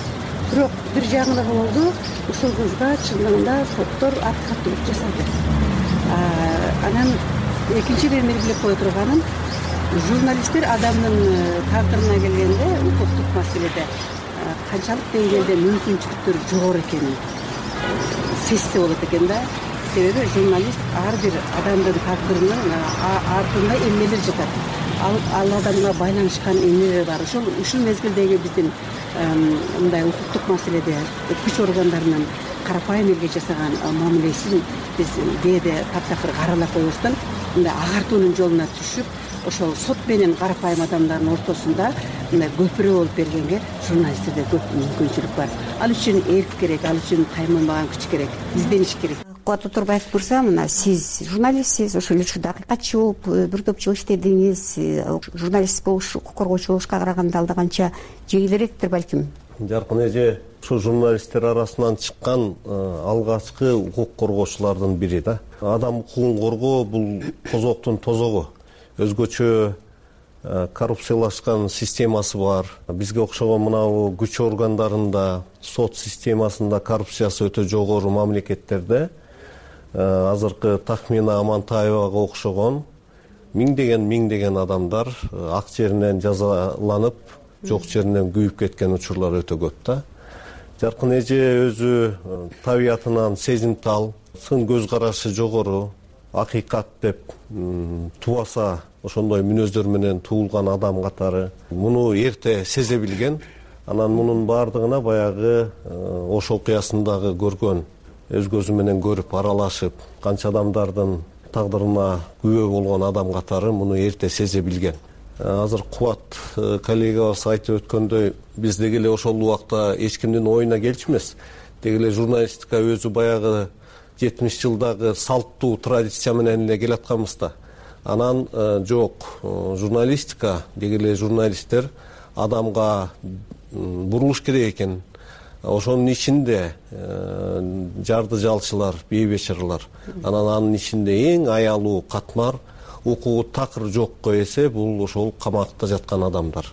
B: Бирок бир жаңылыгы болду, ушул кызга чындыгында соттор акыйкаттуулук жасады. Анан экинчи бир белгилеп кое турганым, журналисттер адамдын тагдырына келгенде укуктук маселеде канчалык деңгээлде мүмкүнчүлүктөр жогору экенин сезсе болот экен да. Себеби журналист ар бир адамдын тагдырынын артында эмнелер жатат. Ал адамга байланышкан эмнелер бар. Ошол ушул мезгилдеги биздин мындай укуктук маселеде күч органдарынын карапайым элге жасаган мамилесин биз кээде таптакыр каралап койбостон мындай агартуунун жолуна түшүп, ошол сот менен карапайым адамдардын ортосунда мындай көпүрө болуп бергенге журналисттерде көп мүмкүнчүлүк бар. Ал үчүн эрк керек, ал үчүн тайманбаган күч керек, издениш керек. Кубат Отурбаев мырза, мына сиз журналистсиз, ошол эле учурда акыйкатчы болуп бир топ жыл иштедиңиз. Журналист болуш, укук коргоочу болушка караганда алда канча жеңилирээктир балким.
I: Жаркын эже ушул журналисттер арасынан чыккан алгачкы укук коргоочулардын бири да. Адам укугун коргоо бул тозоктун тозогу. Өзгөчө коррупциялашкан системасы бар. Бизге окшогон мынабу күч органдарында, сот системасында коррупциясы өтө жогору мамлекеттерде азыркы Тахмина Амантаевага окшогон миңдеген миңдеген адамдар ак жеринен жазаланып, жок жеринен күйүп кеткен учурлар өтө көп да. Жаркын эже өзү табиятынан сезимтал, сын көз карашы жогору, акыйкат деп тубаса ошондой мүнөздөр менен туулган адам катары муну эрте сезе билген. Анан мунун баардыгына баягы Ош окуясындагы көргөн, өз көзү менен көрүп, аралашып, канча адамдардын тагдырына күбө болгон адам катары муну эрте сезе билген. Азыр Кубат коллегабыз айтып өткөндөй, биз деги эле ошол убакта эч кимдин оюна келчү эмес. Деги эле журналистика өзү баягы жетимиш жылдагы салттуу традиция менен эле келатканбыз да. Анан жок, журналистика, деги эле журналисттер адамга бурулуш керек экен. Ошонун ичинде жарды жалчылар, бейбечаралар. Анан анын ичинде эң аялуу катмар, укугу такыр жокко эсе бул ошол камакта жаткан адамдар.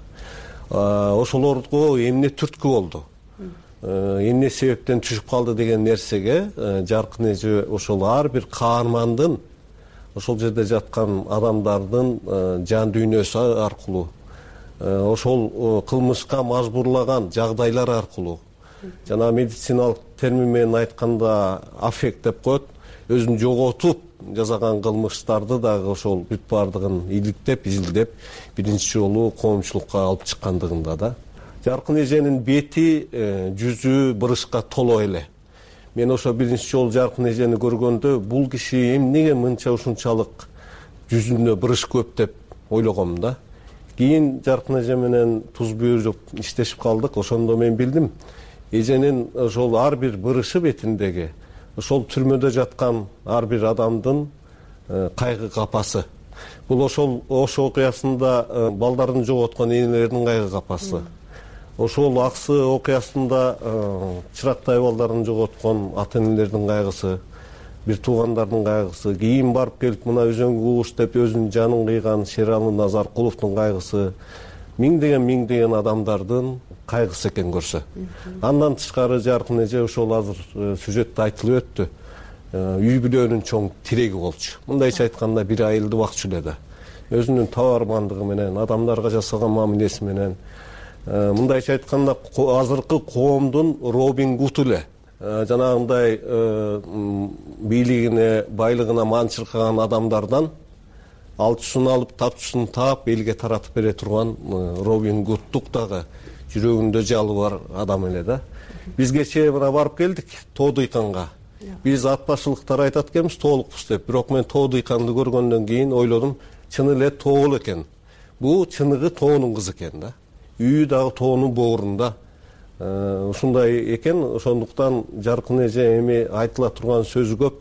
I: Ошолорго эмне түрткү болду? Эмне себептен түшүп калды деген нерсеге Жаркын эже ошол ар бир каармандын ошол жерде жаткан адамдардын жан дүйнөсү аркылуу, ошол кылмышка мажбурлаган жагдайлар аркылуу, жана медициналык термин менен айтканда аффект деп коет, өзүн жоготуп жасаган кылмыштарды дагы ошол бүт баардыгын иликтеп, изилдеп, биринчи жолу коомчулукка алып чыккандыгында да. Жаркын эженин бети, жүзү бырышка толо эле. Мен ошо биринчи жолу Жаркын эжени көргөндө бул киши эмнеге мынча ушунчалык жүзүндө бырыш көп деп ойлогом да. Кийин Жаркын эже менен туз бүйүрүп иштешип калдык. Ошондо мен билдим, эженин ошол ар бир бырышы бетиндеги ошол түрмөдө жаткан ар бир адамдын кайгы капасы. Бул ошол Ош окуясында балдарын жоготкон энелердин кайгы капасы. Ошол Аксы окуясында чырактай балдарын жоготкон ата энелердин кайгысы, бир туугандардын кайгысы, кийин барып келип мына Өзөң Кууш деп өзүнүн жанын кыйган Шералы Назаркуловдун кайгысы, миңдеген миңдеген адамдардын кайгысы экен көрсө. Андан тышкары Жаркын эже ошол азыр сюжетте айтылып өттү. Үй бүлөнүн чоң тиреги болчу. Мындайча айтканда бир айылды бакчу эле да. Өзүнүн табармандыгы менен, адамдарга жасаган мамилеси менен, мындайча айтканда азыркы коомдун Робин Гуд эле. Жанагындай бийлигине, байлыгына манчыркаган адамдардан алчусын алып, тапчысын таап, элге таратып бере турган Робин Гудтук дагы жүрөгүндө жалы бар адам эле да. Биз кечээ мына барып келдик Тоо дыйканга. Биз ат башылыктар айтат экенбиз тоолукпуз деп. Бирок мен Тоо дыйканды көргөндөн кийин ойлодум, чын эле тоо эле экен. Бул чыныгы тоонун кызы экен да. Үйү дагы тоонун боорунда. Ушундай экен, ошондуктан Жаркын эже эми айтыла турган сөзү көп.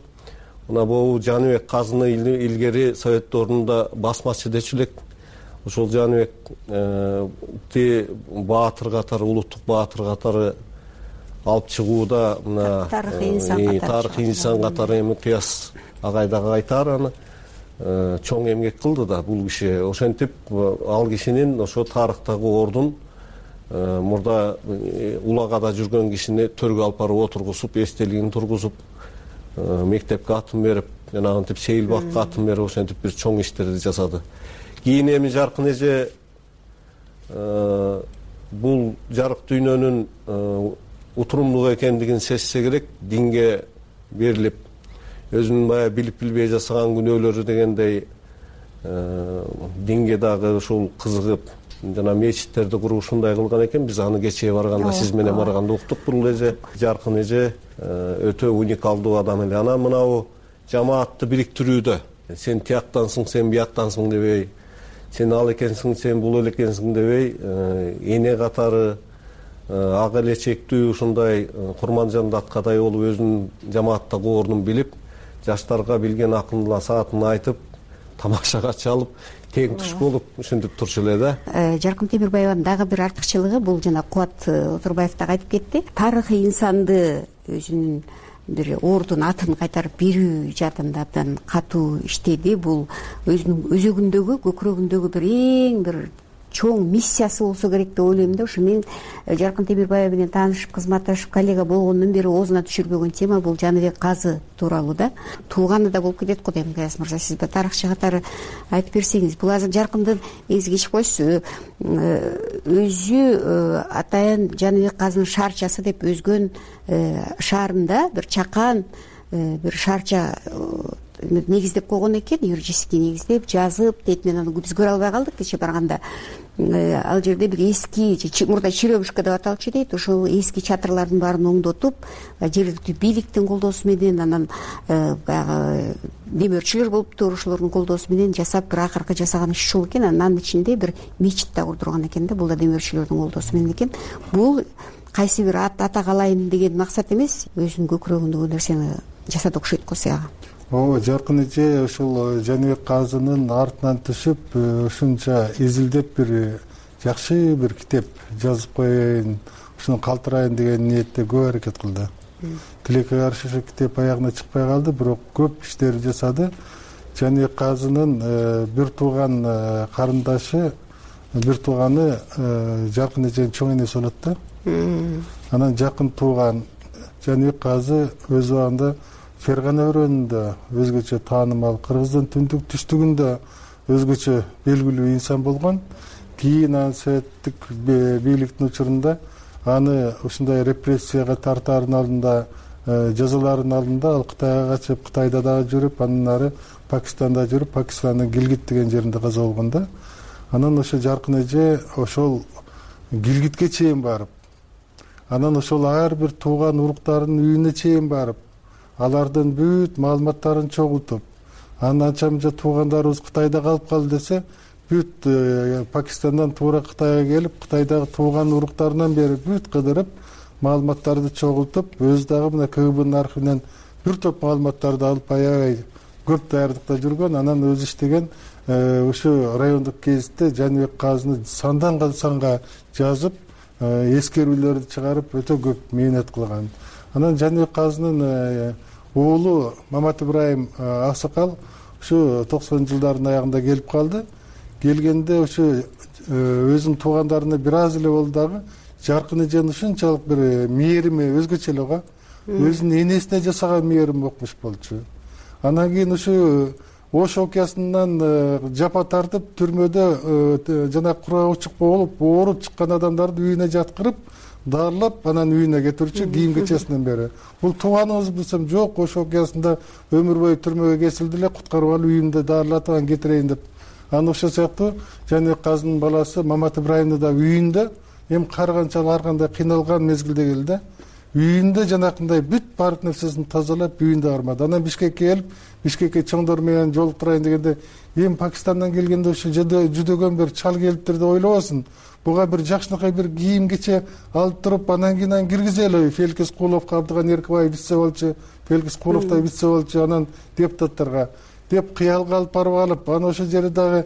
I: Мына бул Жаныбек Казыны илгери Совет доорунда басмачы дечү элек. Ошол Жаныбекти баатыр катары, улуттук баатыр катары алып чыгууда мына тарыхый инсан катары эми Кыяс агай дагы айтаар аны чоң эмгек кылды да бул киши. Ошентип ал кишинин ошо тарыхтагы ордун мурда улагада жүргөн кишини төргө алып барып отургузуп, эстелигин тургузуп, мектепке атын берип, жанагынтип сейил бакка атын берип, ошентип бир чоң иштерди жасады. Кийин эми Жаркын эже бул жарык дүйнөнүн утурумдуу экендигин сезсе керек, динге берилип, өзүнүн баягы билип билбей жасаган күнөөлөрү дегендей динге дагы ушул кызыгып, жана мечиттерди куруп ушундай кылган экен. Биз аны кечээ барганда, сиз менен барганда уктук. Бул эже Жаркын эже өтө уникалдуу адам эле. Анан мынабу жамаатты бириктирүүдө сен тияктансың, сен бияктансың дебей, сен ал экенсиң, сен бул эле экенсиң дебей, эне катары ак элечектүү ушундай Курманжан Даткадай болуп өзүнүн жамааттагы ордун билип, жаштарга билген акылын саатын айтып, тамакшага чалып, тең туш болуп ушинтип турчу эле да.
U: Жаркын Темирбаеванын дагы бир артыкчылыгы бул жана Кубат Отурбаев дагы айтып кетти. Тарыхый инсанды өзүнүн бир ордун атын кайтарып берүү жаатында абдан катуу иштеди. Бул өзүнүн өзөгүндөгү, көкүрөгүндөгү бир эң бир чоң миссиясы болсо керек деп ойлойм да. Ошо мен Жаркын Темирбаев менен таанышып, кызматташып, коллега болгондон бери оозуна түшүрбөгөн тема бул Жаныбек Казы тууралуу да. Тууганы да болуп кетет го дейм. Кыяс мырза, сиз да тарыхчы катары айтып берсеңиз. Бул азыр Жаркындын эңизи кечип койсуз, өзү атайын Жаныбек Казынын шаарчасы деп өзгөн шаарында бир чакан бир шаарча негиздеп койгон экен, юридический негиздеп жазып дейт. Мен аны биз көрө албай калдык кечээ барганда. Ал жерде бир эски мурда черемушка деп аталчу дейт. Ошол эски чатырлардын баарын оңдотуп, жергиликтүү бийликтин колдоосу менен, анан баягы демөөрчүлөр болуптур, ошолордун колдоосу менен жасап, бир акыркы жасаган иш ушул экен. Анын ичинде бир мечит да курдурган экен да. Бул да демөөрчүлөрдүн колдоосу менен экен. Бул кайсы бир атак алайын деген максат эмес, өзүнүн көкүрөгүндөгү нерсени жасады окшойт го сага.
O: Ооба, Жаркын эже ушул Жаныбек Казынын артынан түшүп, ушунча изилдеп бир жакшы бир китеп жазып коеюн, ушуну калтырайын деген ниетте көп аракет кылды. Тилекке каршы ушу китеп аягына чыкпай калды, бирок көп иштер жасады. Жаныбек Казынын бир тууган карындашы, бир тууганы Жаркын эженин чоң энеси болот да. Анан жакын тууган Жаныбек Казы өз убагында Фергана өрөөнүндө өзгөчө таанымал, Кыргыздын түндүк түштүгүндө өзгөчө белгилүү инсан болгон. Кийин анын советтик бийликтин учурунда аны ушундай репрессияга тартаардын алдында, жазалардын алдында ал Кытайга качып, Кытайда дагы жүрүп, андан ары Пакистанда жүрүп, Пакистандын Гилгит деген жеринде каза болгон да. Анан ошо Жаркын эже ошол Гилгитке чейин барып, анан ошол ар бир тууган уруктарынын үйүнө чейин барып, алардын бүт маалыматтарын чогултуп, анан анча мынча туугандарыбыз Кытайда калып калды десе, бүт Пакистандан туура Кытайга келип, Кытайдагы тууган уруктарынан бери бүт кыдырып, маалыматтарды чогултуп, өзү дагы мына К Г Бнын архивинен бир топ маалыматтарды алып аябай көп даярдыкта жүргөн. Анан өзү иштеген ушу райондук гезитте Жаныбек Казыны сандан санга жазып, эскерүүлөрдү чыгарып, өтө көп мээнет кылган. Анан Жаныбек Казынын уулу Мамат Ибраим Аксакал ушу токсонунчу жылдардын аягында келип калды. Келгенде ушу өзүнүн туугандарына бир аз эле болду дагы, Жаркын эженин ушунчалык бир мээрими өзгөчө эле го. Өзүнүн энесине жасаган мээрим окмуш болчу. Анан кийин ушу Ош окуясынан жапа тартып, түрмөдө жана курагучук болуп, ооруп чыккан адамдарды үйүнө жаткырып, дарылап, анан үйүнө кетирчү кийим кечесинен бери. Бул тууганыбыз билсем жок, Ош окуясында өмүр бою түрмөгө кесилди эле, куткарып алып үйүмдө дарылатып анан кетирейин деп. Анан ошол сыяктуу Жаныбек Казынын баласы Мамат Ибраимди да үйүндө, эми кар канчалык ар кандай кыйналган мезгилде келди. Үйүндө жанакындай бүт баардык нерсесин тазалап, үйүндө кармады. Анан Бишкекке келип, Бишкекке чоңдор менен жолуктурайын дегенде, эми Пакистандан келгенде ушу жүдөгөн бир чал келиптир деп ойлобосун. Буга бир жакшынакай бир кийим кече алып туруп, анан кийин аны киргизели. Феликс Куловго Абдыган Эркебаев вице болчу, Феликс Кулов да вице болчу, анан депутаттарга деп кыялга алып барып алып, анан ошол жерде дагы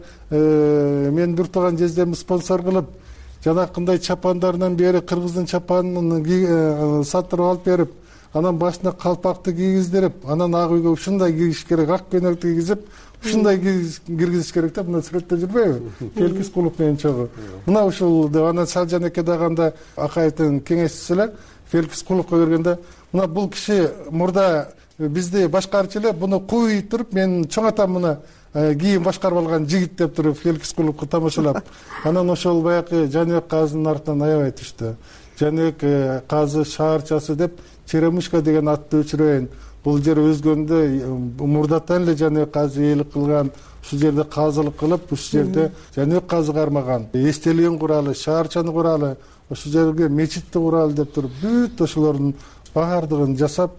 O: мен бир тууган жездемди спонсор кылып, жанакындай чапандарынан бери кыргыздын чапанын сатырып алып берип, анан башына калпакты кийгиздирип, анан ак үйгө ушундай кийиш керек, ак көйнөктү кийгизип, ушундай киргизиш керек деп, мына сүрөттө жүрбөйбү? Феликс Кулов менен чогуу. Мына ушул деп, анан Салжан эке дагы анда Акаевдин кеңешчиси эле, Феликс Куловго бергенде, мына бул киши мурда бизди башкарчу эле, буну кууй туруп, мен чоң атам мына кийин башкарып алган жигит деп туруп Феликс Куловго тамашалап, анан ошол баягы Жаныбек Казынын артынан аябай түштү. Жаныбек Казы шаарчасы деп Черемушка деген атты өчүрөйүн. Бул жер өзгөндө мурдатан эле Жаныбек Казы ээлик кылган, ушул жерде казылык кылып, ушул жерде Жаныбек Казы кармаган, эстелигин куралы, шаарчаны куралы, ошол жерге мечитти куралы деп туруп, бүт ошолордун баардыгын жасап,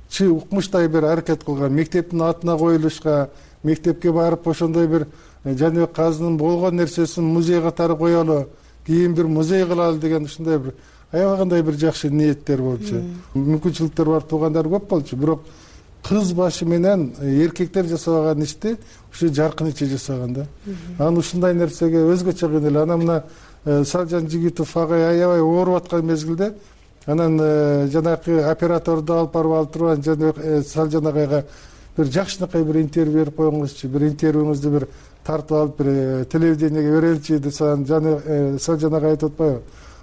O: чы укмуштай бир аракет кылган. Мектептин атына коюлушка, мектепке барып ошондой бир Жаныбек Казынын болгон нерсесин музей катары коелу, кийин бир музей кылалы деген ушундай бир аябагандай бир жакшы ниеттер болчу. Мүмкүнчүлүктөр бар туугандар көп болчу, бирок кыз башы менен эркектер жасабаган ишти ушу Жаркын эче жасаган да. Анан ушундай нерсеге өзгөчө кыйнал. Анан мына Салжан Жигитов агай аябай ооруп аткан мезгилде, анан жанакы операторду алып барып алып турган Жаныбек Салжан агайга бир жакшынакай бир интервью берип койгуңузчу, бир интервьюңузду бир тартып алып бир телевидениеге береличи десем, жана Салжан агай айтып атпайбы?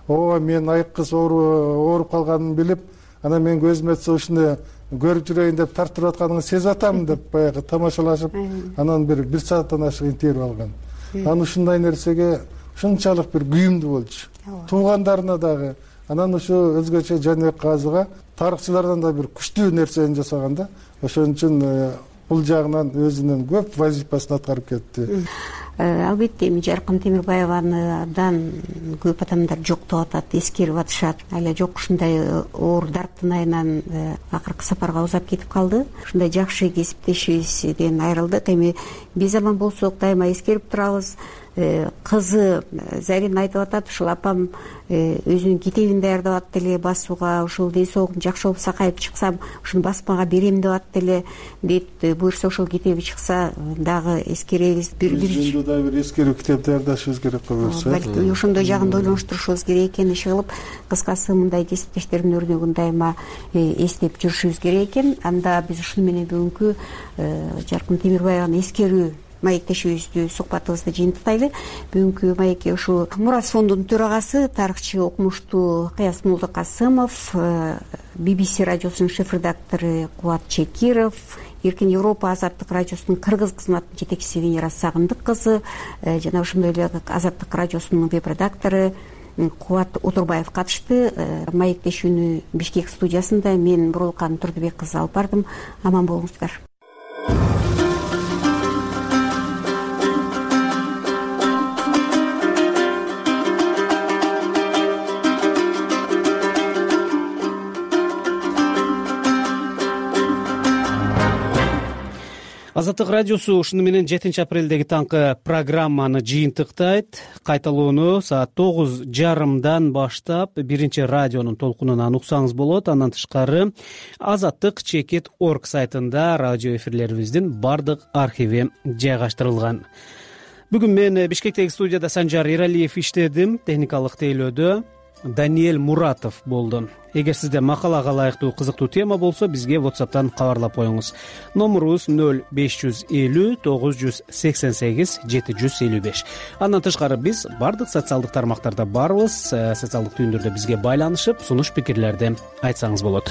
O: Ооба, мен айык кыз ооруп калганын билип, анан мен көзүм өтсө ушуну көрүп жүрөйүн деп тартып атканыңызды сезип атам деп баягы тамашалашып, анан бир бир сааттан ашык интервью алган. Анан ушундай нерсеге ушунчалык бир күйүмдүү болчу. Туугандарына дагы. Анан ушу өзгөчө Жаныбек Казыга тарыхчылардан да бир күчтүү нерсени жасаган да. Ошон үчүн бул жагынан өзүнүн көп вазифасын аткарып кетти.
U: Албетте эми Жаркын Темирбаевадан көп адамдар жоктоп атат, эскерип атышат. Ала жок, ушундай оор дарттын айынан акыркы сапарга узап кетип калды. Ушундай жакшы кесиптешибизден айрылдык. Эми биз аман болсок дайыма эскерип турабыз. Кызы Зарина айтып атат, ушул апам өзүнүн китебин даярдап атты эле басууга, ушул ден соолугум жакшы болуп сакайып чыксам, ушуну басмага берем деп атты эле дейт. Буюрса ошол китеби чыкса дагы эскеребиз.
O: Бир дагы бир эскерүү китеп даярдашыбыз керек го буюрса.
U: Балки ошондой жагын ойлонуштурушубуз керек экен. Иши кылып, кыскасы мындай кесиптештердин өрнөгүн дайыма эстеп жүрүшүбүз керек экен. Анда биз ушуну менен бүгүнкү Жаркын Темирбаеваны эскерүү маектешибиздүү сухбатыбызды жыйынтыктайлы. Бүгүнкү маекке ушул Мурас фондунун төрагасы, тарыхчы, окумуштуу Кыясмулла Касымов, би би си радиосунун шеф-редактору Кубат Чекиров, Эркин Европа Азаттык радиосунун кыргыз кызматынын жетекчиси Венера Сагындык кызы, жана ошондой эле Азаттык радиосунун веб-редактору Кубат Отурбаев катышты. Маектешүүнү Бишкек студиясында мен Бурулкан Турдубек кызы алып бардым. Аман болуңуздар.
A: Азаттык радиосу ушуну менен жетинчи апрелдеги таңкы программаны жыйынтыктайт. Кайталоону саат тогуз жарымдан баштап биринчи радионун толкунунан уксаңыз болот. Андан тышкары азаттык чекит орг сайтында радио эфирлерибиздин бардык архиви жайгаштырылган. Бүгүн мен Бишкектеги студияда Санжар Эралиев иштедим. Техникалык тейлөөдө Даниэль Муратов болду. Эгер сизде макалага ылайыктуу кызыктуу тема болсо, бизге WhatsApp'тан кабарлап коюңуз. Номурубуз ноль беш жүз элүү тогуз жүз сексен сегиз жети жүз элүү беш. Андан тышкары биз бардык социалдык тармактарда барбыз. Социалдык түйүндөрдө бизге байланышып, сунуш пикирлерди айтсаңыз болот.